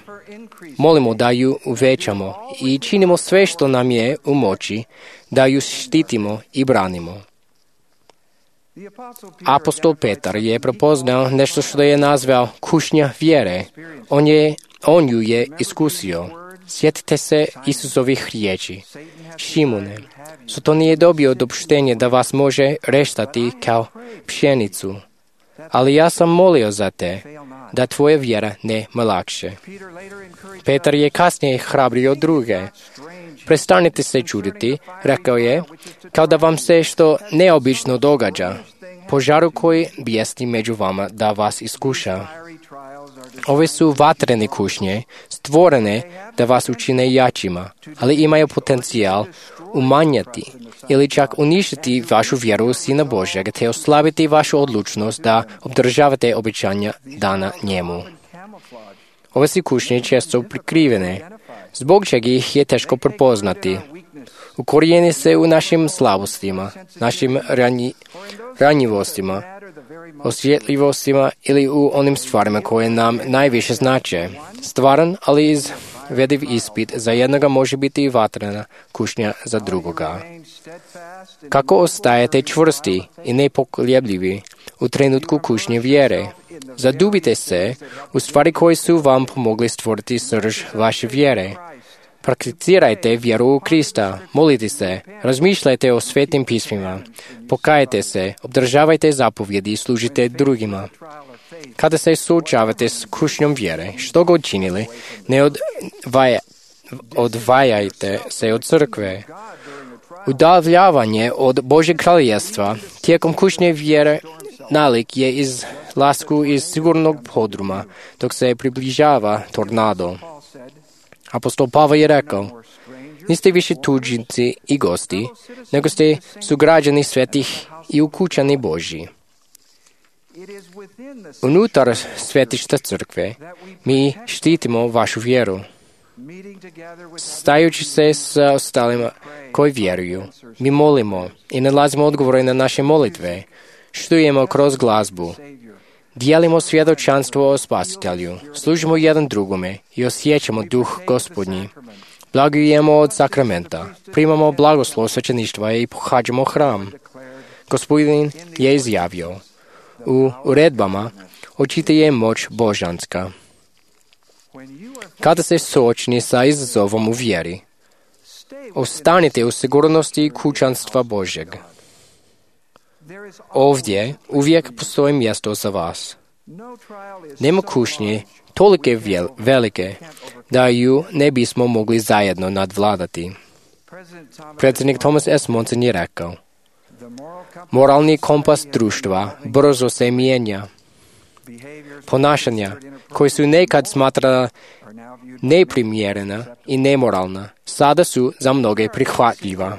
[SPEAKER 2] Molimo da ju uvećamo i činimo sve što nam je u moći da ju štitimo i branimo. Apostol Petar je prepoznao nešto što je nazvao kušnja vjere. On, je, on ju je iskusio. Sjetite se Isusovih riječi. Šimune, Soton je dobio dopuštenje da vas može reštati kao pšenicu. Ali ja sam molio za te, da tvoja vjera ne mlakše. Petar je kasnije hrabrio druge. Prestanite se čuditi, rekao je, kao da vam se što neobično događa. Požaru koji bijesti među vama da vas iskuša. Ove su vatrene kušnje, stvorene da vas učine jačima, ali imaju potencijal umanjati ili čak uništiti vašu vjeru u Sina Božjeg te oslabiti vašu odlučnost da obdržavate obećanja dana njemu. Ove su kušnje često prikrivene, zbog čega ih je teško prepoznati. Ukorijeni se u našim slabostima, našim ranji, ranjivostima, osjetljivostima ili u onim stvarima koje nam najviše znače. Stvaran, ali izvediv ispit za jednoga može biti i vatrena kušnja za drugoga. Kako ostajete čvrsti i nepokoljebljivi u trenutku kušnje vjere? Zadubite se u stvari koje su vam pomogli stvoriti srž vaše vjere. Prakticirajte vjeru u Krista, molite se, razmišljajte o svetim pismima, pokajte se, obdržavajte zapovjedi i služite drugima. Kada se suočavate s kušnjom vjere, što god činili, ne odvaja, odvajajte se od crkve. Udaljavanje od Božjeg kraljevstva tijekom kušnje vjere nalik je iz lasku iz sigurnog podruma, dok se približava tornado. Apostol Pavao je rekao, niste više tuđinci i gosti, nego ste sugrađani svetih i ukućani Božji. Unutar svetišta crkve mi štitimo vašu vjeru. Stajući se s ostalima koji vjeruju, mi molimo i nalazimo odgovore na naše molitve, štujemo kroz glazbu, dijelimo svjedočanstvo o Spasitelju, služimo jedan drugome i osjećamo duh Gospodnji. Blagujemo od sakramenta, primamo blagoslov svećeništva i pohađamo hram. Gospodin je izjavio, u uredbama očita je moć božanska. Kada ste suočeni sa izazovom u vjeri, ostanite u sigurnosti kućanstva Božjeg. Ovdje uvijek postoji mjesto za vas. Nema kušnje tolike velike da ju ne bismo mogli zajedno nadvladati. Predsjednik Thomas S. Monson je rekao, moralni kompas društva brzo se mijenja. Ponašanja koji su nekad smatrana neprimjerena i nemoralna, sada su za mnoge prihvatljiva.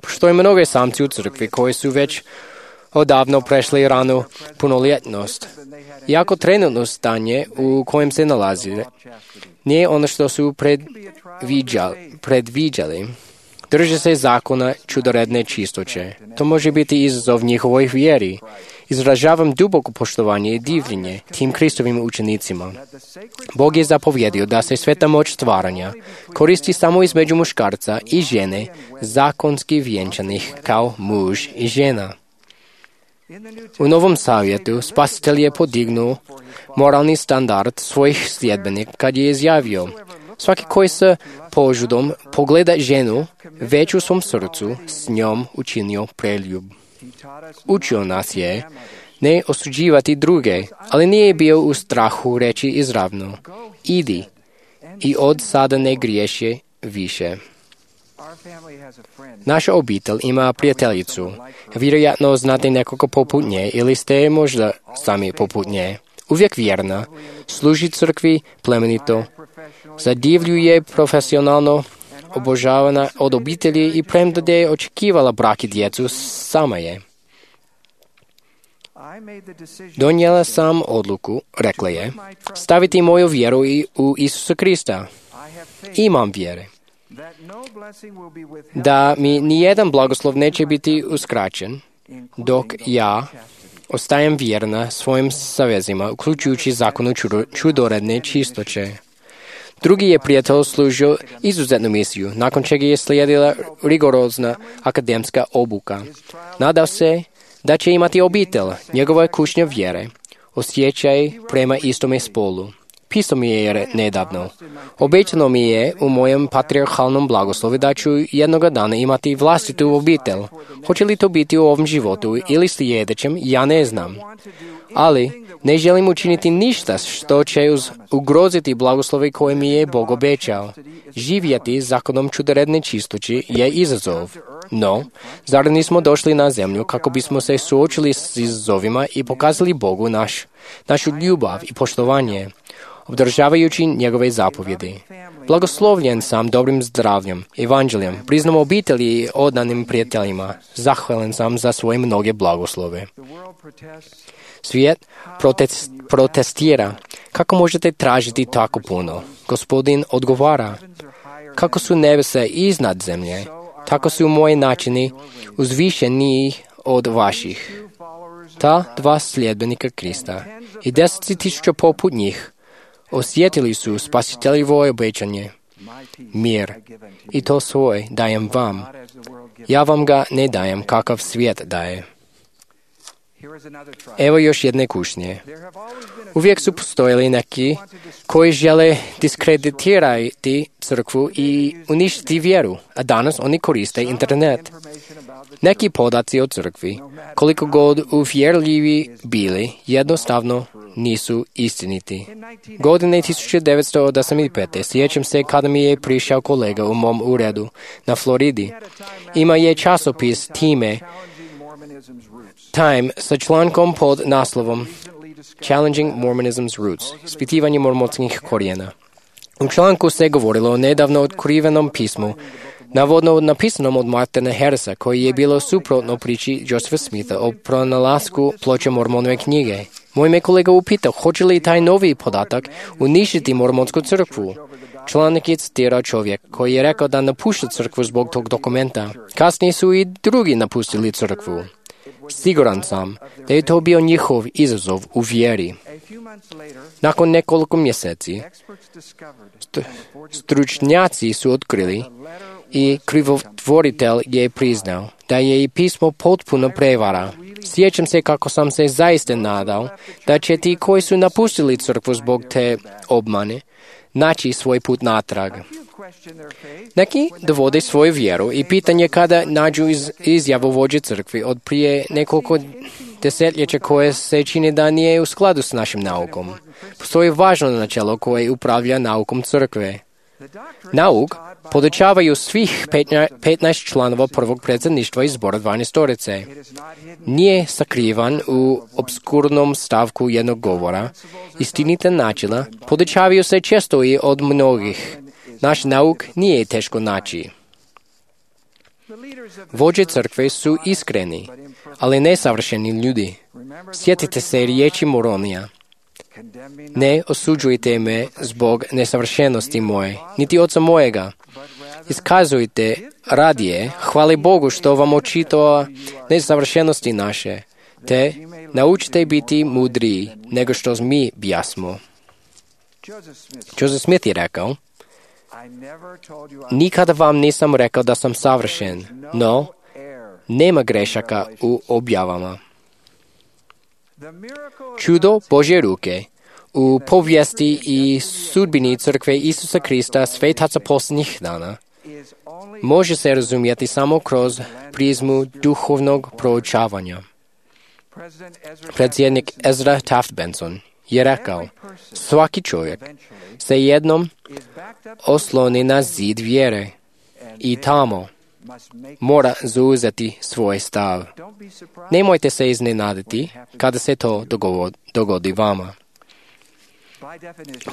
[SPEAKER 2] Postoje mnoge samci u crkvi koji su već odavno prešli ranu punoljetnost. Iako trenutno stanje u kojem se nalazi nije ono što su predviđali, predviđali. Drže se zakona čudoredne čistoće. To može biti izazov njihovoj vjeri. Izražavam duboko poštovanje i divljenje tim Kristovim učenicima. Bog je zapovjedio da se sveta moć stvaranja koristi samo između muškarca i žene, zakonski vjenčanih kao muž i žena. U Novom Zavjetu Spasitelj je podignuo moralni standard svojih sljedbenika kad je izjavio, svaki koji se požudom pogleda ženu već u svom srcu s njom učinio preljub. Učio nas je ne osuđivati druge, ali nije bio u strahu reći izravno, idi i od sada ne griješi više. Naša obitelj ima prijateljicu. Vjerojatno znate nekoga poput nje ili ste možda sami poput nje. uvijek vjerna, služi crkvi plemenito, zadivljuje profesionalno, obožavana od obitelji i premda da je očekivala brak i djecu, sama je. Donijela sam odluku, rekla je, staviti moju vjeru i u Isusa Krista. Imam vjere da mi nijedan blagoslov neće biti uskraćen, dok ja ostajem vjerna svojim savezima, uključujući zakonu čudoredne čistoće. Drugi je prijatelj služio izuzetnu misiju, nakon čega je slijedila rigorozna akademska obuka. Nadao se da će imati obitelj, njegova kušnja vjere, osjećaj prema istome spolu. Pisao mi je nedavno. Obećano mi je u mojem patriarhalnom blagoslovu da ću jednoga dana imati vlastitu obitelj. Hoće li to biti u ovom životu ili sljedećem, ja ne znam. Ali ne želim učiniti ništa što će ugroziti blagoslove koje mi je Bog obećao. Živjeti zakonom čudoredne čistoći je izazov. No, zar nismo došli na zemlju kako bismo se suočili s izazovima i pokazali Bogu naš, našu ljubav i poštovanje, obdržavajući njegove zapovjedi. Blagoslovljen sam dobrim zdravljem, evanđeljem, priznam obitelji i oddanim prijateljima. Zahvalan sam za svoje mnoge blagoslove. Svijet protest, protestira. Kako možete tražiti tako puno? Gospodin odgovara. Kako su nebesa iznad zemlje, tako su moji načini uzvišeniji od vaših. Ta dva sljedbenika Krista i deset tisuća poput njih osjetili su spasiteljevo obećanje. Mir. I to svoj dajem vam. Ja vam ga ne dajem kakav svijet daje. Evo još jedne kušnje. Uvijek su postojali neki koji žele diskreditirati crkvu i uništiti vjeru, a danas oni koriste internet. Neki podaci o crkvi, koliko god uvjerljivi bili, jednostavno nisu istiniti. Godine tisuću devetsto osamdeset pete. sjećam se kada mi je prišao kolega u mom uredu na Floridi. Ima je časopis Time, Time sa člankom pod naslovom Challenging Mormonism's Roots, ispitivanje mormonskih korijena. U članku se govorilo o nedavno otkrivenom pismu, navodno napisanom od Martina Harrisa, koji je bilo suprotno priči Josepha Smitha o pronalasku ploče Mormonove knjige. Moj me kolega upitao, hoće li taj novi podatak uništiti mormonsku crkvu. Članak je citirao čovjek koji je rekao da napušta crkvu zbog tog dokumenta. Kasnije su i drugi napustili crkvu. Siguran sam da je to bio njihov izazov u vjeri. Nakon nekoliko mjeseci, stručnjaci su otkrili i krivotvoritelj je priznao da je i pismo potpuno prevara. Sjećam se kako sam se zaista nadao da će ti koji su napustili crkvu zbog te obmane naći svoj put natrag. Neki dovode svoju vjeru i pitanje kada nađu iz, izjavu vođe crkvi od prije nekoliko desetljeća koje se čini da nije u skladu s našim naukom. Postoji važno načelo koje upravlja naukom crkve. Nauk podučavaju svih petnaest članova prvog predsjedništva iz zbora dvanaestorice. Nije sakrivan u obskurnom stavku jednog govora. Istinita načela podučavaju se često i od mnogih. Naš nauk nije teško naći. Vođe crkve su iskreni, ali nesavršeni ljudi. Sjetite se riječi Moronija. Ne osuđujte me zbog nesavršenosti moje, niti oca mojega. Iskazujte radije, hvali Bogu što vam očitava nesavršenosti naše, te naučite biti mudriji nego što mi bjasmo. Joseph Smith je rekao, nikada vam nisam rekao da sam savršen, no nema grešaka u objavama. Čudo Božje ruke u povijesti i sudbini crkve Isusa Krista svetaca posljednjih dana može se razumjeti samo kroz prizmu duhovnog proučavanja. Predsjednik Ezra Taft Benson je rekao, svaki čovjek se jednom osloni na zid vjere i tamo mora zauzeti svoj stav. Nemojte se iznenaditi kada se to dogodi vama.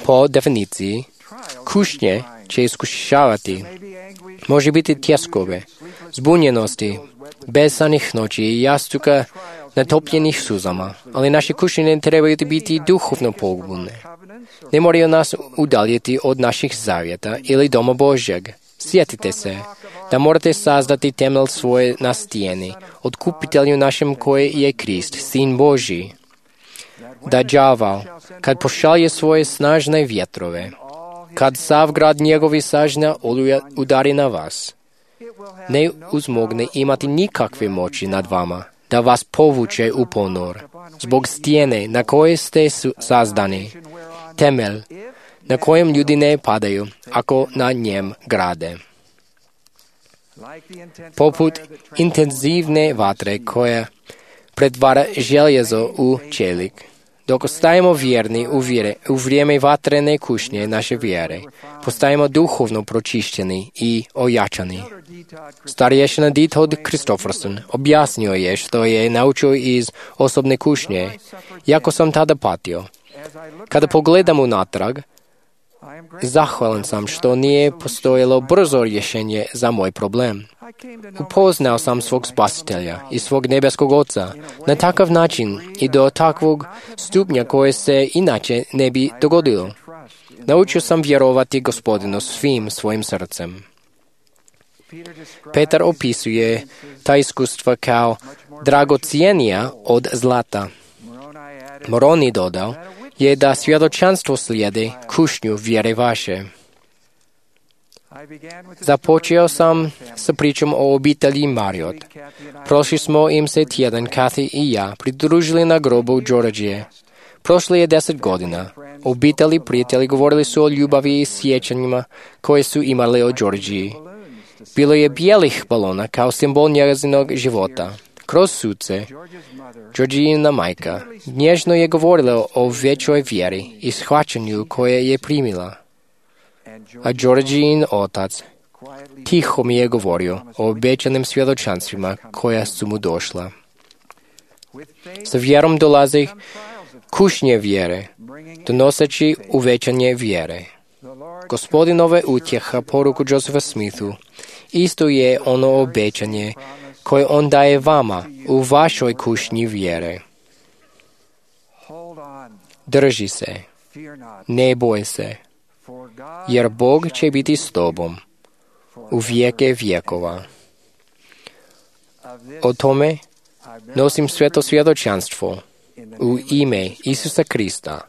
[SPEAKER 2] Po definiciji, kušnje će iskušavati. Može biti tjeskove, zbunjenosti, besanih noći i jastuka natopljenih suzama, ali naše kušnje ne trebaju biti duhovno pogubne. Ne moraju nas udaljiti od naših zavjeta ili doma Božjeg. Sjetite se da morate sazdati temelj svoje na stijeni, otkupitelju našem koji je Krist, Sin Božji. Da đaval, kad pošalje svoje snažne vjetrove, kad sav grad njegovi sažna oluja udari na vas, ne uzmogne imati nikakve moći nad vama, da vas povuče u ponor, zbog stijene na koje ste sazdani, temelj na kojem ljudi ne padaju, ako na njem grade. Poput intenzivne vatre koja pretvara željezo u čelik, dok ostajemo vjerni u, vjere, u vrijeme vatrene kušnje naše vjere, postajemo duhovno pročišćeni i ojačani. Starješina Ditold Kristofferson objasnio je što je naučio iz osobne kušnje, jako sam tada patio. Kada pogledam unatrag, zahvalan sam što nije postojalo brzo rješenje za moj problem. Upoznao sam svog spasitelja i svog nebeskog Oca na takav način i do takvog stupnja koje se inače ne bi dogodilo. Naučio sam vjerovati Gospodinu svim svojim srcem. Petar opisuje ta iskustva kao dragocjenija od zlata. Moroni dodao je da svjedočanstvo slijedi kušnju vjere vaše. Započeo sam sa pričom o obitelji Marriott. Prošli smo im se tjedan, Kathy i ja, pridružili na grobu Georgije. Prošlo je deset godina. Obitelji prijatelji govorili su o ljubavi i sjećanjima koje su imali o Georgiji. Bilo je bijelih balona kao simbol njezinog života. Kroz suce, Georgijina majka nježno je govorila o većoj vjeri i shvaćanju koje je primila. A Georgijin otac tiho mi je govorio o obećanim svjedočanstvima koja su mu došla. Sa vjerom dolazi kušnje vjere, donoseći uvećanje vjere. Gospodinove utjeha poruku Josepha Smithu isto je ono obećanje koje on daje vama u vašoj kušnji vjere. Drži se, ne boj se, jer Bog će biti s tobom u vijeke vjekova. O tome nosim sveto svjedočanstvo u ime Isusa Krista.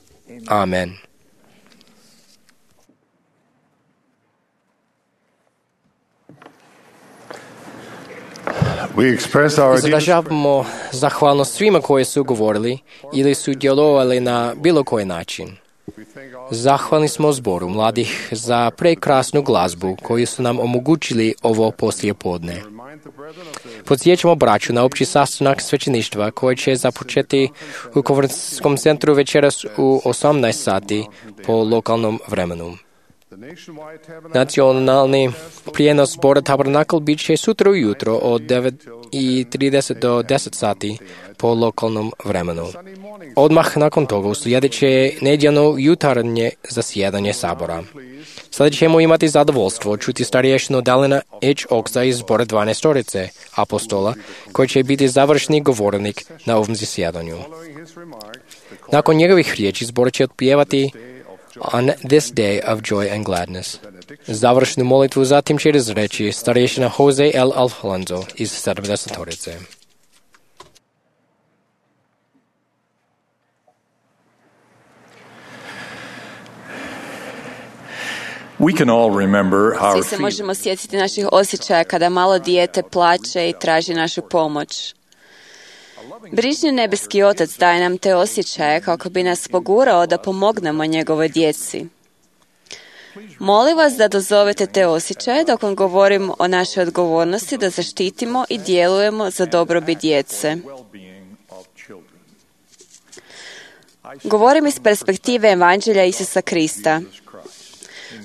[SPEAKER 2] Amen. Izražavamo zahvalnost svima koji su govorili ili su djelovali na bilo koji način. Zahvalni smo zboru mladih za prekrasnu glazbu koju su nam omogućili ovo poslijepodne. Podsjećamo braću na opći sastanak svećeništva koji će započeti u konferencijskom centru večeras u osamnaest sati po lokalnom vremenu. Nacionalni prijenos zbora Tabernakl bit će sutra ujutro od devet i trideset do deset sati po lokalnom vremenu. Odmah nakon toga uslijedit će nedjeljno jutarnje zasjedanje sabora. Sada ćemo imati zadovoljstvo čuti starješinu Dalina H. Oxa iz zbora dvanaestorice apostola, koji će biti završni govornik na ovom zasjedanju. Nakon njegovih riječi zbor će otpjevati On this day of joy and gladness. Završnu molitvu zatim će izreći starješina Jose L. Alfonso iz sedamdesetorice.
[SPEAKER 13] We can all remember our
[SPEAKER 10] Svi se možemo sjetiti naših osjećaja kada malo dijete plače i traži našu pomoć. Brižni nebeski Otac daje nam te osjećaje kako bi nas pogurao da pomognemo njegovoj djeci. Molim vas da dozovete te osjećaje dok vam govorim o našoj odgovornosti da zaštitimo i djelujemo za dobrobit djece. Govorim iz perspektive Evanđelja Isusa Krista,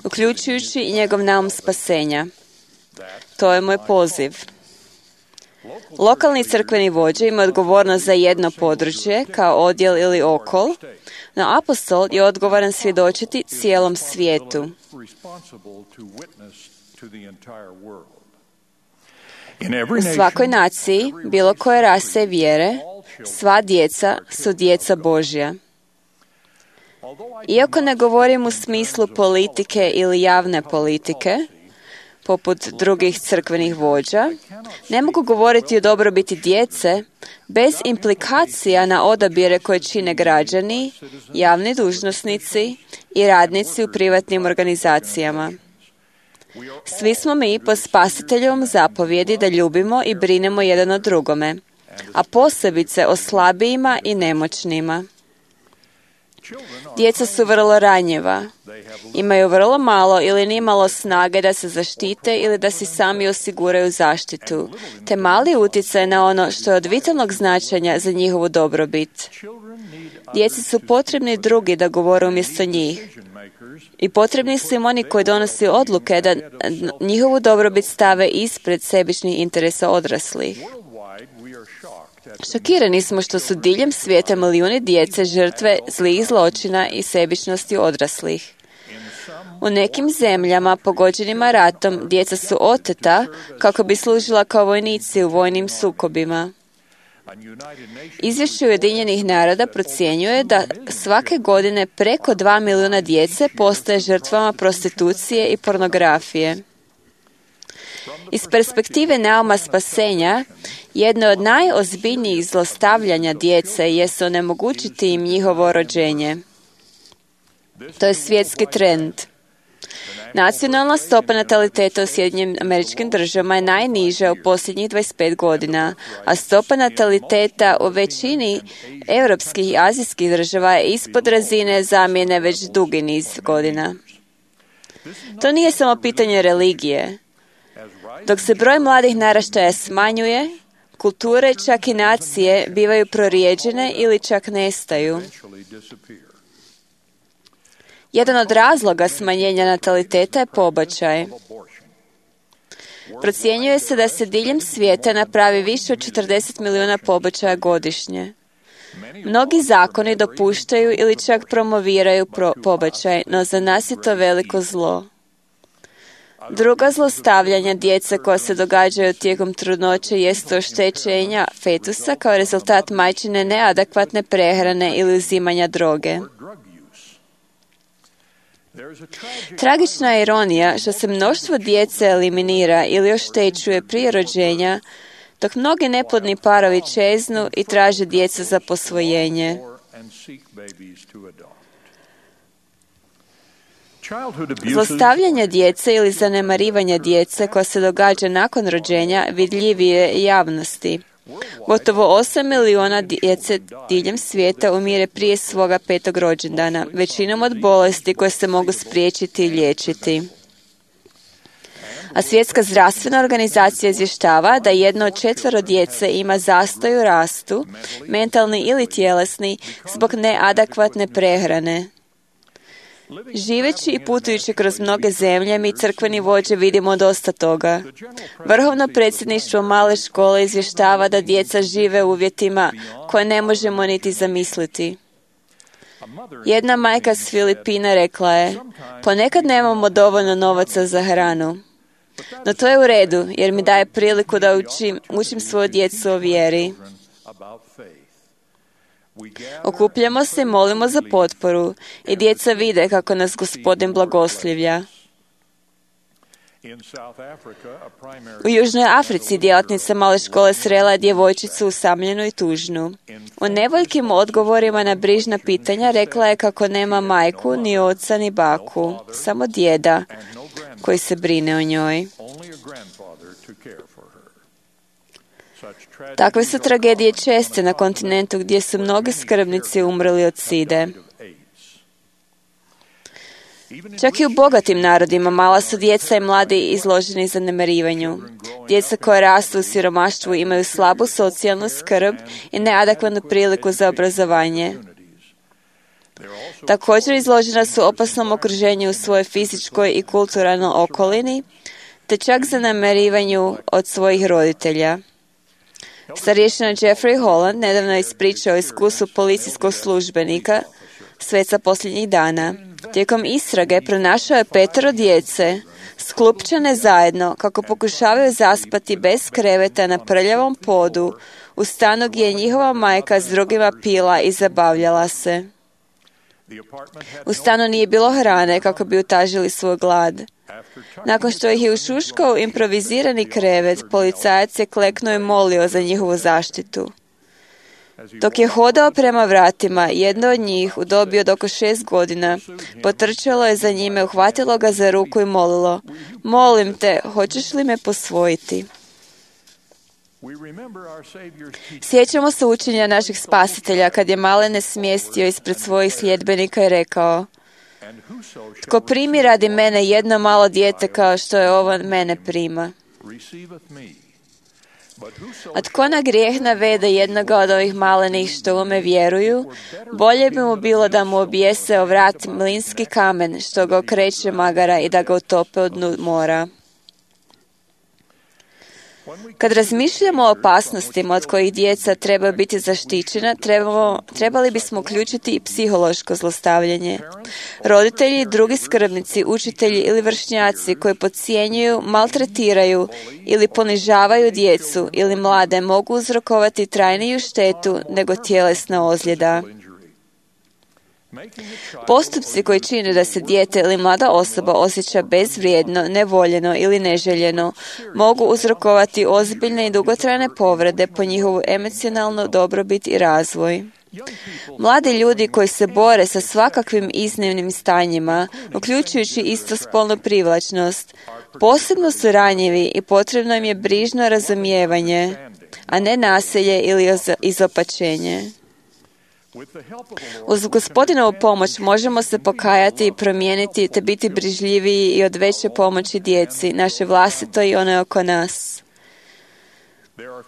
[SPEAKER 10] uključujući i njegov naum spasenja. To je moj poziv. Lokalni crkveni vođe ima odgovornost za jedno područje, kao odjel ili okol, no apostol je odgovoran svjedočiti cijelom svijetu. U svakoj naciji, bilo koje rase i vjere, sva djeca su djeca Božja. Iako ne govorim u smislu politike ili javne politike, poput drugih crkvenih vođa, ne mogu govoriti o dobrobiti djece bez implikacija na odabire koje čine građani, javni dužnosnici i radnici u privatnim organizacijama. Svi smo mi po Spasiteljevom zapovjedi da ljubimo i brinemo jedan o drugome, a posebice o slabijima i nemoćnima. Djeca su vrlo ranjiva. Imaju vrlo malo ili nimalo snage da se zaštite ili da si sami osiguraju zaštitu, te mali utjecaj na ono što je od vitalnog značenja za njihovu dobrobit. Djeci su potrebni drugi da govore umjesto njih. I potrebni su im oni koji donose odluke da njihovu dobrobit stave ispred sebičnih interesa odraslih. Šokirani smo što su diljem svijeta milijuni djece žrtve zlih zločina i sebičnosti odraslih. U nekim zemljama pogođenima ratom djeca su oteta kako bi služila kao vojnici u vojnim sukobima. Izvješće Ujedinjenih naroda procjenjuje da svake godine preko dva milijuna djece postaje žrtvama prostitucije i pornografije. Iz perspektive nauma spasenja, jedno od najozbiljnijih zlostavljanja djece jest onemogućiti im njihovo rođenje. To je svjetski trend. Nacionalna stopa nataliteta u Sjedinjenim Američkim Državama je najniža u posljednjih dvadeset pet godina, a stopa nataliteta u većini europskih i azijskih država je ispod razine zamjene već dugi niz godina. To nije samo pitanje religije. Dok se broj mladih naraštaja smanjuje, kulture, čak i nacije, bivaju prorijeđene ili čak nestaju. Jedan od razloga smanjenja nataliteta je pobačaj. Procjenjuje se da se diljem svijeta napravi više od četrdeset milijuna pobačaja godišnje. Mnogi zakoni dopuštaju ili čak promoviraju pro- pobačaj, no za nas je to veliko zlo. Druga zlostavljanja djece koja se događaju tijekom trudnoće jest oštećenja fetusa kao rezultat majčine neadekvatne prehrane ili uzimanja droge. Tragična je ironija što se mnoštvo djece eliminira ili oštećuje prije rođenja, dok mnogi neplodni parovi čeznu i traže djecu za posvojenje. Zlostavljanje djece ili zanemarivanje djece koja se događa nakon rođenja vidljivije je javnosti. Gotovo osam milijuna djece diljem svijeta umire prije svoga petog rođendana, većinom od bolesti koje se mogu spriječiti i liječiti. A Svjetska zdravstvena organizacija izvještava da jedno od četvero djece ima zastoj u rastu, mentalni ili tjelesni, zbog neadekvatne prehrane. Živeći i putujući kroz mnoge zemlje, mi crkveni vođe vidimo dosta toga. Vrhovno predsjedništvo male škole izvještava da djeca žive u uvjetima koje ne možemo niti zamisliti. Jedna majka s Filipina rekla je, ponekad nemamo dovoljno novaca za hranu. No to je u redu, jer mi daje priliku da učim, učim svoju djecu o vjeri. Okupljamo se i molimo za potporu i djeca vide kako nas Gospodin blagoslivlja. U Južnoj Africi djelatnica male škole srela je djevojčicu usamljenu i tužnu. U nevoljkim odgovorima na brižna pitanja rekla je kako nema majku, ni oca, ni baku, samo djeda koji se brine o njoj. Takve su tragedije česte na kontinentu gdje su mnogi skrbnici umrli od side. Čak i u bogatim narodima mala su djeca i mladi izloženi zanemarivanju. Djeca koja rastu u siromaštvu imaju slabu socijalnu skrb i neadekvatnu priliku za obrazovanje. Također izložena su opasnom okruženju u svojoj fizičkoj i kulturalnoj okolini, te čak zanemarivanju od svojih roditelja. Starješina Jeffrey Holland nedavno je ispričao iskustvu policijskog službenika sveca posljednjih dana. Tijekom istrage pronašao je petero djece, sklupčane zajedno, kako pokušavaju zaspati bez kreveta na prljavom podu, u stanu gdje je njihova majka s drugima pila i zabavljala se. U stanu nije bilo hrane kako bi utažili svoj glad. Nakon što ih je ušuškao improvizirani krevet, policajac je kleknuo i molio za njihovu zaštitu. Dok je hodao prema vratima, jedno od njih, u dobi od oko šest godina, potrčalo je za njime, uhvatilo ga za ruku i molilo: "Molim te, hoćeš li me posvojiti?" Sjećamo se učenja naših spasitelja kad je malene smjestio ispred svojih sljedbenika i rekao: "Tko primi radi mene jedno malo dijete kao što je ovo mene prima. A tko na grijeh navede jednoga od ovih malenih što u me vjeruju, bolje bi mu bilo da mu objese o vrat mlinski kamen što ga okreće magara i da ga utope od dnu mora." Kad razmišljamo o opasnostima od kojih djeca treba biti zaštićena, trebamo, trebali bismo uključiti i psihološko zlostavljanje. Roditelji i drugi skrbnici, učitelji ili vršnjaci koji podcjenjuju, maltretiraju ili ponižavaju djecu ili mlade mogu uzrokovati trajniju štetu nego tjelesna ozljeda. Postupci koji čine da se dijete ili mlada osoba osjeća bezvrijedno, nevoljeno ili neželjeno mogu uzrokovati ozbiljne i dugotrajne povrede po njihovu emocionalnu dobrobit i razvoj. Mladi ljudi koji se bore sa svakakvim iznimnim stanjima, uključujući istospolnu privlačnost, posebno su ranjivi i potrebno im je brižno razumijevanje, a ne nasilje ili izopačenje. Uz Gospodinovu pomoć možemo se pokajati i promijeniti te biti brižljiviji i od veće pomoći djeci, naše vlastito i one oko nas.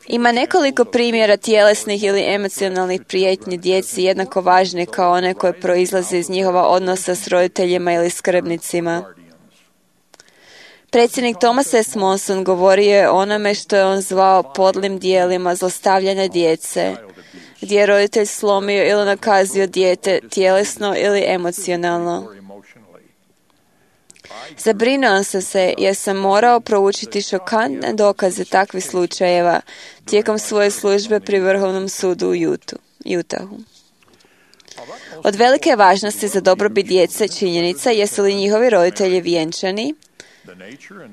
[SPEAKER 10] Ima nekoliko primjera tjelesnih ili emocionalnih prijetnji djeci jednako važne kao one koje proizlaze iz njihova odnosa s roditeljima ili skrbnicima. Predsjednik Thomas S. Monson govorio je o onome što je on zvao podlim dijelima zlostavljanja djece, gdje je roditelj slomio ili nakazio dijete tjelesno ili emocionalno. Zabrinuo sam se jer sam morao proučiti šokantne dokaze takvih slučajeva tijekom svoje službe pri Vrhovnom sudu u Utahu. Od velike važnosti za dobrobit djece činjenica jesu li njihovi roditelji vjenčani,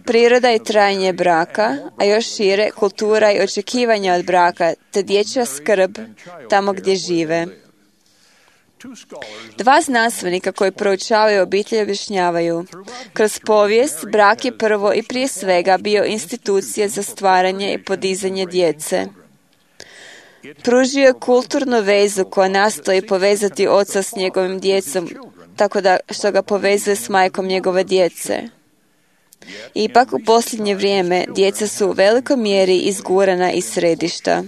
[SPEAKER 10] priroda i trajanje braka, a još šire kultura i očekivanja od braka, te dječja skrb tamo gdje žive. Dva znanstvenika koji proučavaju obitelj objašnjavaju: kroz povijest brak je prvo i prije svega bio institucija za stvaranje i podizanje djece. Pružio je kulturnu vezu koja nastoji povezati oca s njegovim djecom, tako da što ga povezuje s majkom njegove djece. Ipak, u posljednje vrijeme, djeca su u velikoj mjeri izgurana iz središta.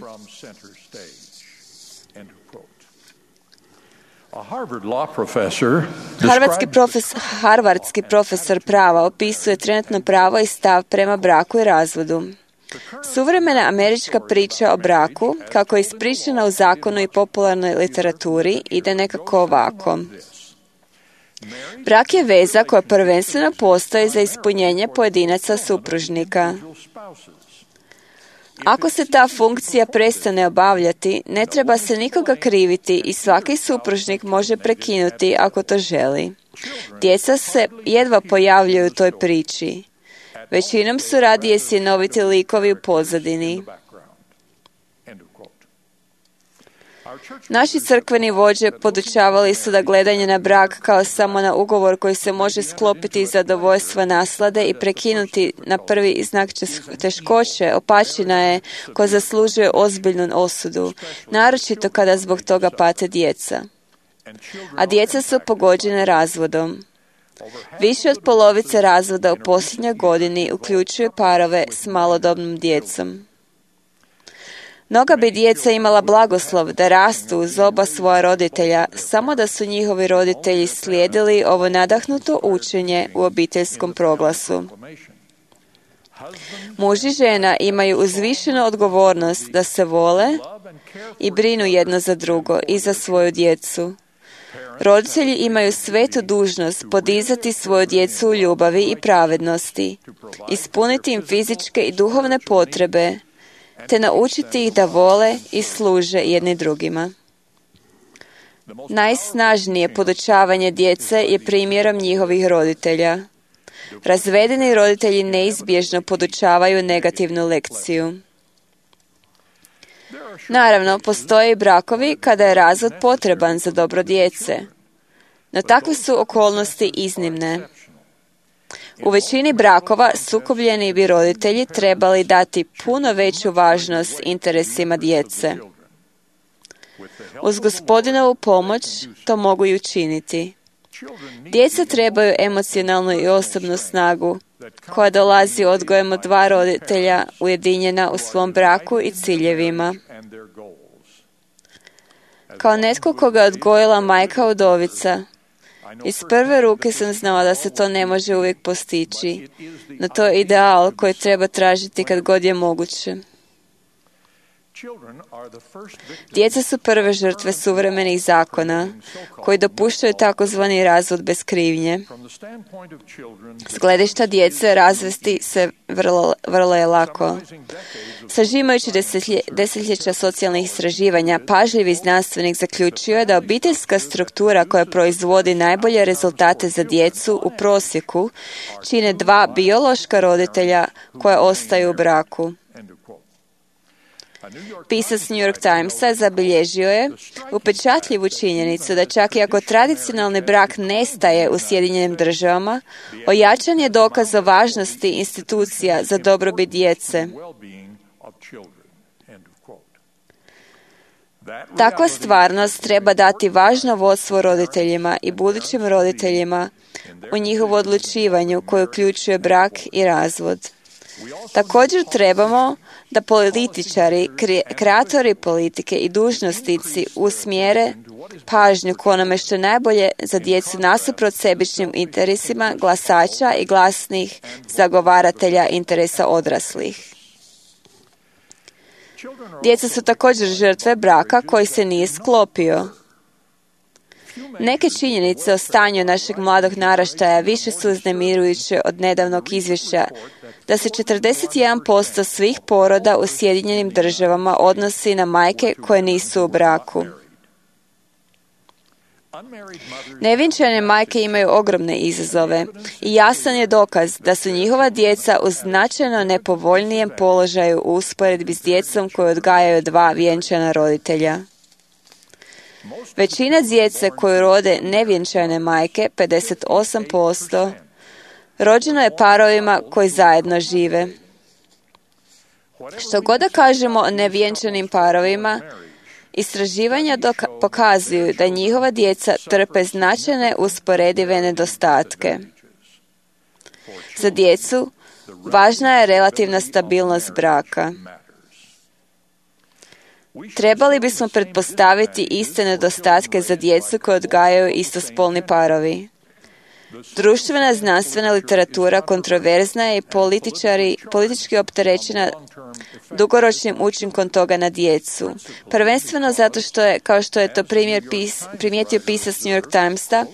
[SPEAKER 10] Harvardski profesor, Harvardski profesor prava opisuje trenutno pravo i stav prema braku i razvodu. Suvremena američka priča o braku, kako je ispričana u zakonu i popularnoj literaturi, ide nekako ovako. Brak je veza koja prvenstveno postoji za ispunjenje pojedinaca supružnika. Ako se ta funkcija prestane obavljati, ne treba se nikoga kriviti i svaki supružnik može prekinuti ako to želi. Djeca se jedva pojavljuju u toj priči. Većinom su radije sjenoviti likovi u pozadini. Naši crkveni vođe podučavali su da gledanje na brak kao samo na ugovor koji se može sklopiti iz zadovoljstva naslade i prekinuti na prvi znak teškoće opačina je koja zaslužuje ozbiljnu osudu, naročito kada zbog toga pate djeca. A djeca su pogođene razvodom. Više od polovice razvoda u posljednjoj godini uključuje parove s malodobnom djecom. Mnoga bi djeca imala blagoslov da rastu uz oba svoja roditelja, samo da su njihovi roditelji slijedili ovo nadahnuto učenje u obiteljskom proglasu. Muž i žena imaju uzvišenu odgovornost da se vole i brinu jedno za drugo i za svoju djecu. Roditelji imaju svetu dužnost podizati svoju djecu u ljubavi i pravednosti, ispuniti im fizičke i duhovne potrebe, te naučiti ih da vole i služe jedni drugima. Najsnažnije podučavanje djece je primjerom njihovih roditelja. Razvedeni roditelji neizbježno podučavaju negativnu lekciju. Naravno, postoje i brakovi kada je razvod potreban za dobro djece, no takve su okolnosti iznimne. U većini brakova sukobljeni bi roditelji trebali dati puno veću važnost interesima djece. Uz Gospodinovu pomoć to mogu i učiniti. Djeca trebaju emocionalnu i osobnu snagu koja dolazi odgojem od dva roditelja ujedinjena u svom braku i ciljevima. Kao netko koga je odgojila majka udovica, iz prve ruke sam znala da se to ne može uvijek postići, no to je ideal koji treba tražiti kad god je moguće. Djeca su prve žrtve suvremenih zakona koji dopuštaju takozvani razvod bez krivnje. S gledišta djece razvesti se vrlo, vrlo je lako. Sažimajući desetlje, desetljeća socijalnih istraživanja, pažljivi znanstvenik zaključio je da obiteljska struktura koja proizvodi najbolje rezultate za djecu u prosjeku čine dva biološka roditelja koja ostaju u braku. Pisac New York Timesa zabilježio je upečatljivu činjenicu da čak i ako tradicionalni brak nestaje u Sjedinjenim državama, ojačan je dokaz o važnosti institucija za dobrobit djece. Takva stvarnost treba dati važno vodstvo roditeljima i budućim roditeljima u njihovu odlučivanju koje uključuje brak i razvod. Također trebamo da političari, kreatori politike i dužnosnici usmjere pažnju k onome što je najbolje za djecu nasuprot sebičnim interesima glasača i glasnih zagovaratelja interesa odraslih. Djeca su također žrtve braka koji se nije sklopio. Neke činjenice o stanju našeg mladog naraštaja više su uznemirujuće od nedavnog izvješća da se četrdeset jedan posto svih poroda u Sjedinjenim državama odnosi na majke koje nisu u braku. Nevjenčane majke imaju ogromne izazove i jasan je dokaz da su njihova djeca u značajno nepovoljnijem položaju u usporedbi s djecom koju odgajaju dva vjenčana roditelja. Većina djece koju rode nevjenčane majke, pedeset osam posto, rođeno je parovima koji zajedno žive. Što god da kažemo o nevjenčanim parovima, istraživanja doka- pokazuju da njihova djeca trpe značajne usporedive nedostatke. Za djecu važna je relativna stabilnost braka. Trebali bismo pretpostaviti iste nedostatke za djecu koje odgajaju istospolni parovi. Društvena znanstvena literatura kontroverzna je i političari, politički opterećena dugoročnim učinkom toga na djecu. Prvenstveno zato što je, kao što je to primjer pis, primijetio pisac New York Timesa,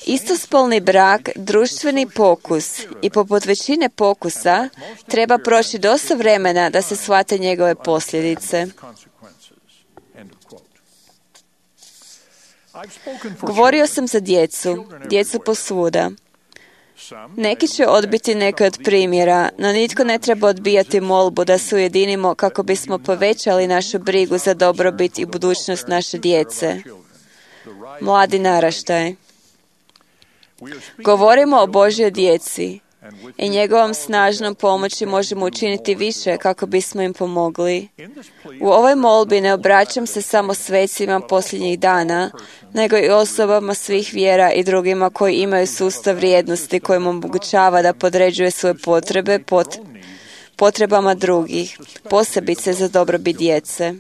[SPEAKER 10] istospolni brak, društveni pokus i poput većine pokusa treba proći dosta vremena da se shvate njegove posljedice. Govorio sam za djecu, djecu posvuda. Neki će odbiti neke od primjera, no nitko ne treba odbijati molbu da se ujedinimo kako bismo povećali našu brigu za dobrobit i budućnost naše djece. Mladi naraštaj. Govorimo o Božjoj djeci i njegovom snažnom pomoći možemo učiniti više kako bismo im pomogli. U ovoj molbi ne obraćam se samo svecima posljednjih dana, nego i osobama svih vjera i drugima koji imaju sustav vrijednosti koji mu omogućava da podređuje svoje potrebe pot, potrebama drugih, posebice za dobrobit djece.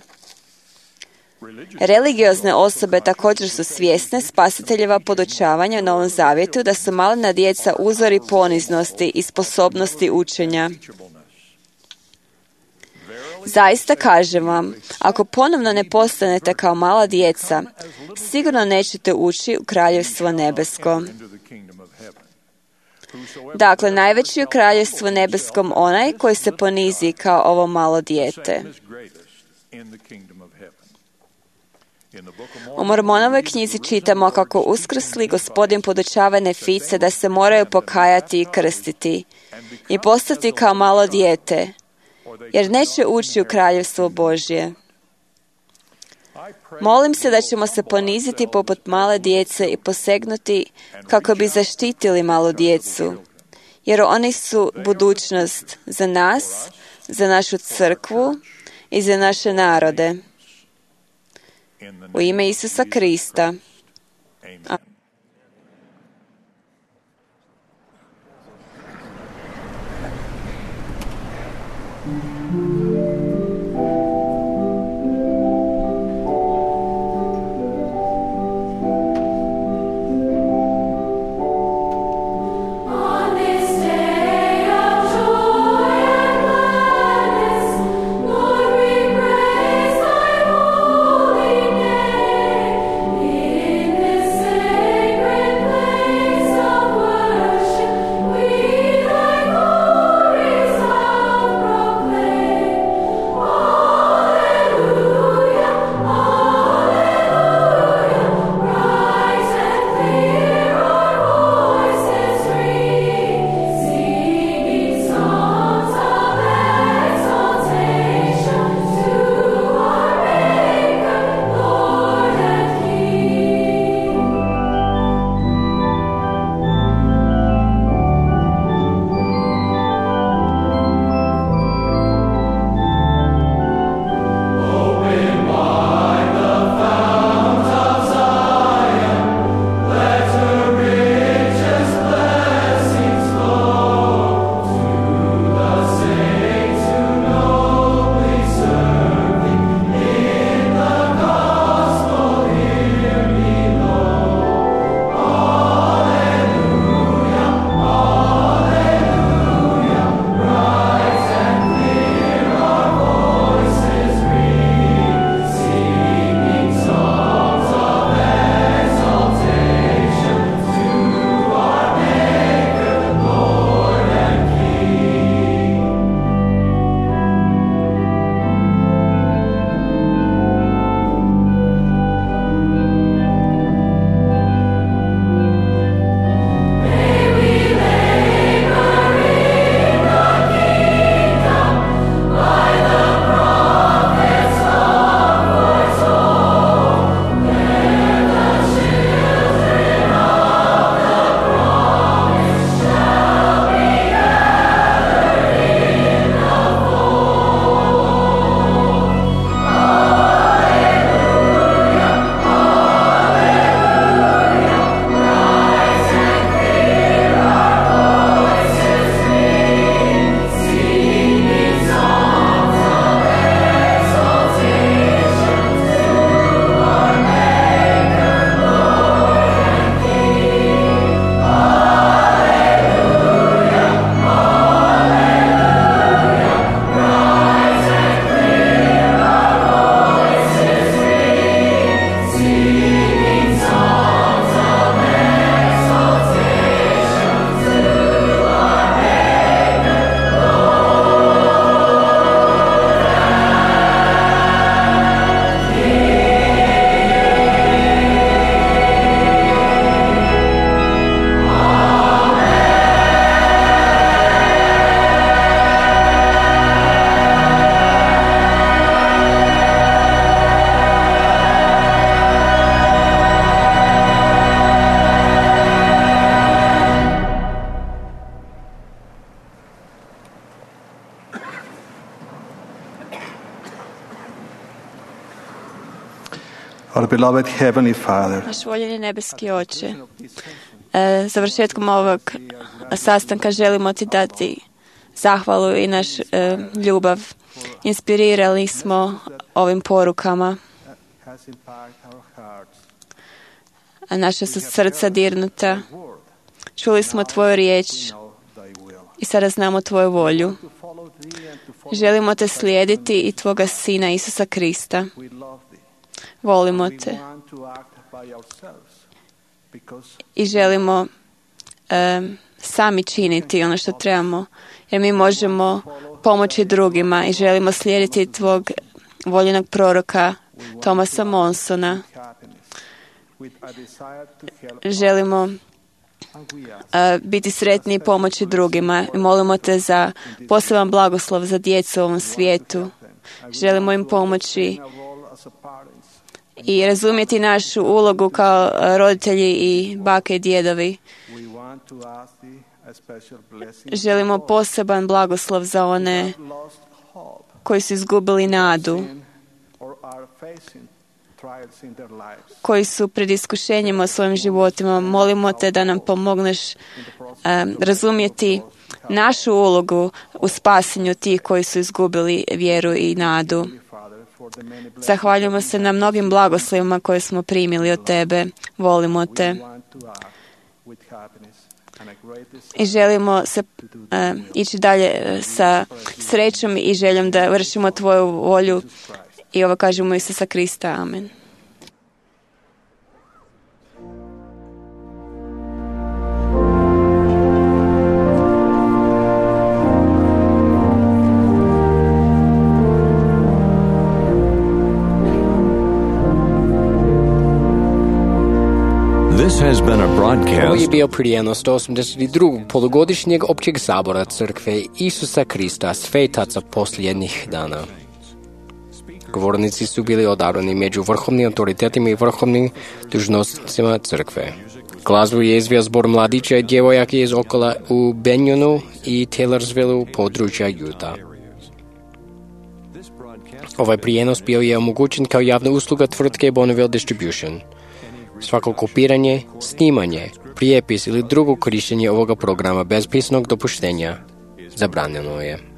[SPEAKER 10] Religiozne osobe također su svjesne spasiteljeva podučavanja u Novom Zavjetu da su malena djeca uzori poniznosti i sposobnosti učenja. Zaista kažem vam, ako ponovno ne postanete kao mala djeca, sigurno nećete ući u Kraljevstvo nebesko. Dakle, najveći je u Kraljevstvu nebeskom onaj koji se ponizi kao ovo malo dijete. U Mormonovoj knjizi čitamo kako uskrsli Gospodin podučava Nefice da se moraju pokajati i krstiti i postati kao malo dijete, jer neće ući u Kraljevstvo Božje. Molim se da ćemo se poniziti poput male djece i posegnuti kako bi zaštitili malu djecu, jer oni su budućnost za nas, za našu crkvu i za naše narode. U ime Isusa Krista.
[SPEAKER 14] Our beloved Heavenly Father,
[SPEAKER 10] naš voljeni nebeski Oče, e, završetkom ovog sastanka želimo Ti dati zahvalu i naš e, ljubav. Inspirirali smo ovim porukama. a naša su srca dirnuta. Čuli smo Tvoju riječ i sada znamo Tvoju volju. Želimo Te slijediti i Tvoga Sina Isusa Krista. Volimo Te i želimo um, sami činiti ono što trebamo, jer mi možemo pomoći drugima i želimo slijediti Tvog voljenog proroka Thomasa Monsona. Želimo uh, biti sretni i pomoći drugima i molimo Te za poseban blagoslov za djecu u ovom svijetu. Želimo im pomoći i razumjeti našu ulogu kao roditelji i bake i djedovi. Želimo poseban blagoslov za one koji su izgubili nadu, koji su pred iskušenjima u svojim životima. Molimo Te da nam pomogneš um, razumjeti našu ulogu u spasenju tih koji su izgubili vjeru i nadu. Zahvaljujemo se na mnogim blagoslovima koje smo primili od Tebe. Volimo Te. I želimo se uh, ići dalje uh, sa srećom i željom da vršimo Tvoju volju. I ovo kažemo Isusa Krista. Amen.
[SPEAKER 2] Ovo je bio prijenos sto osamdeset drugog polugodišnjeg općeg sabora Crkve Isusa Krista svetaca posljednjih dana. Govornici su bili odabrani među vrhovnim autoritetima i vrhovnim dužnosnicima Crkve. Glazbu je izveo zbor mladića i djevojaka iz Okola u Banyonu i Taylorsvilleu, područja Utah. Ovaj prijenos bio je omogućen kao javna usluga tvrtke Bonneville Distribution. Svako kopiranje, snimanje, prijepis ili drugo korištenje ovoga programa bez pisanog dopuštenja zabranjeno je.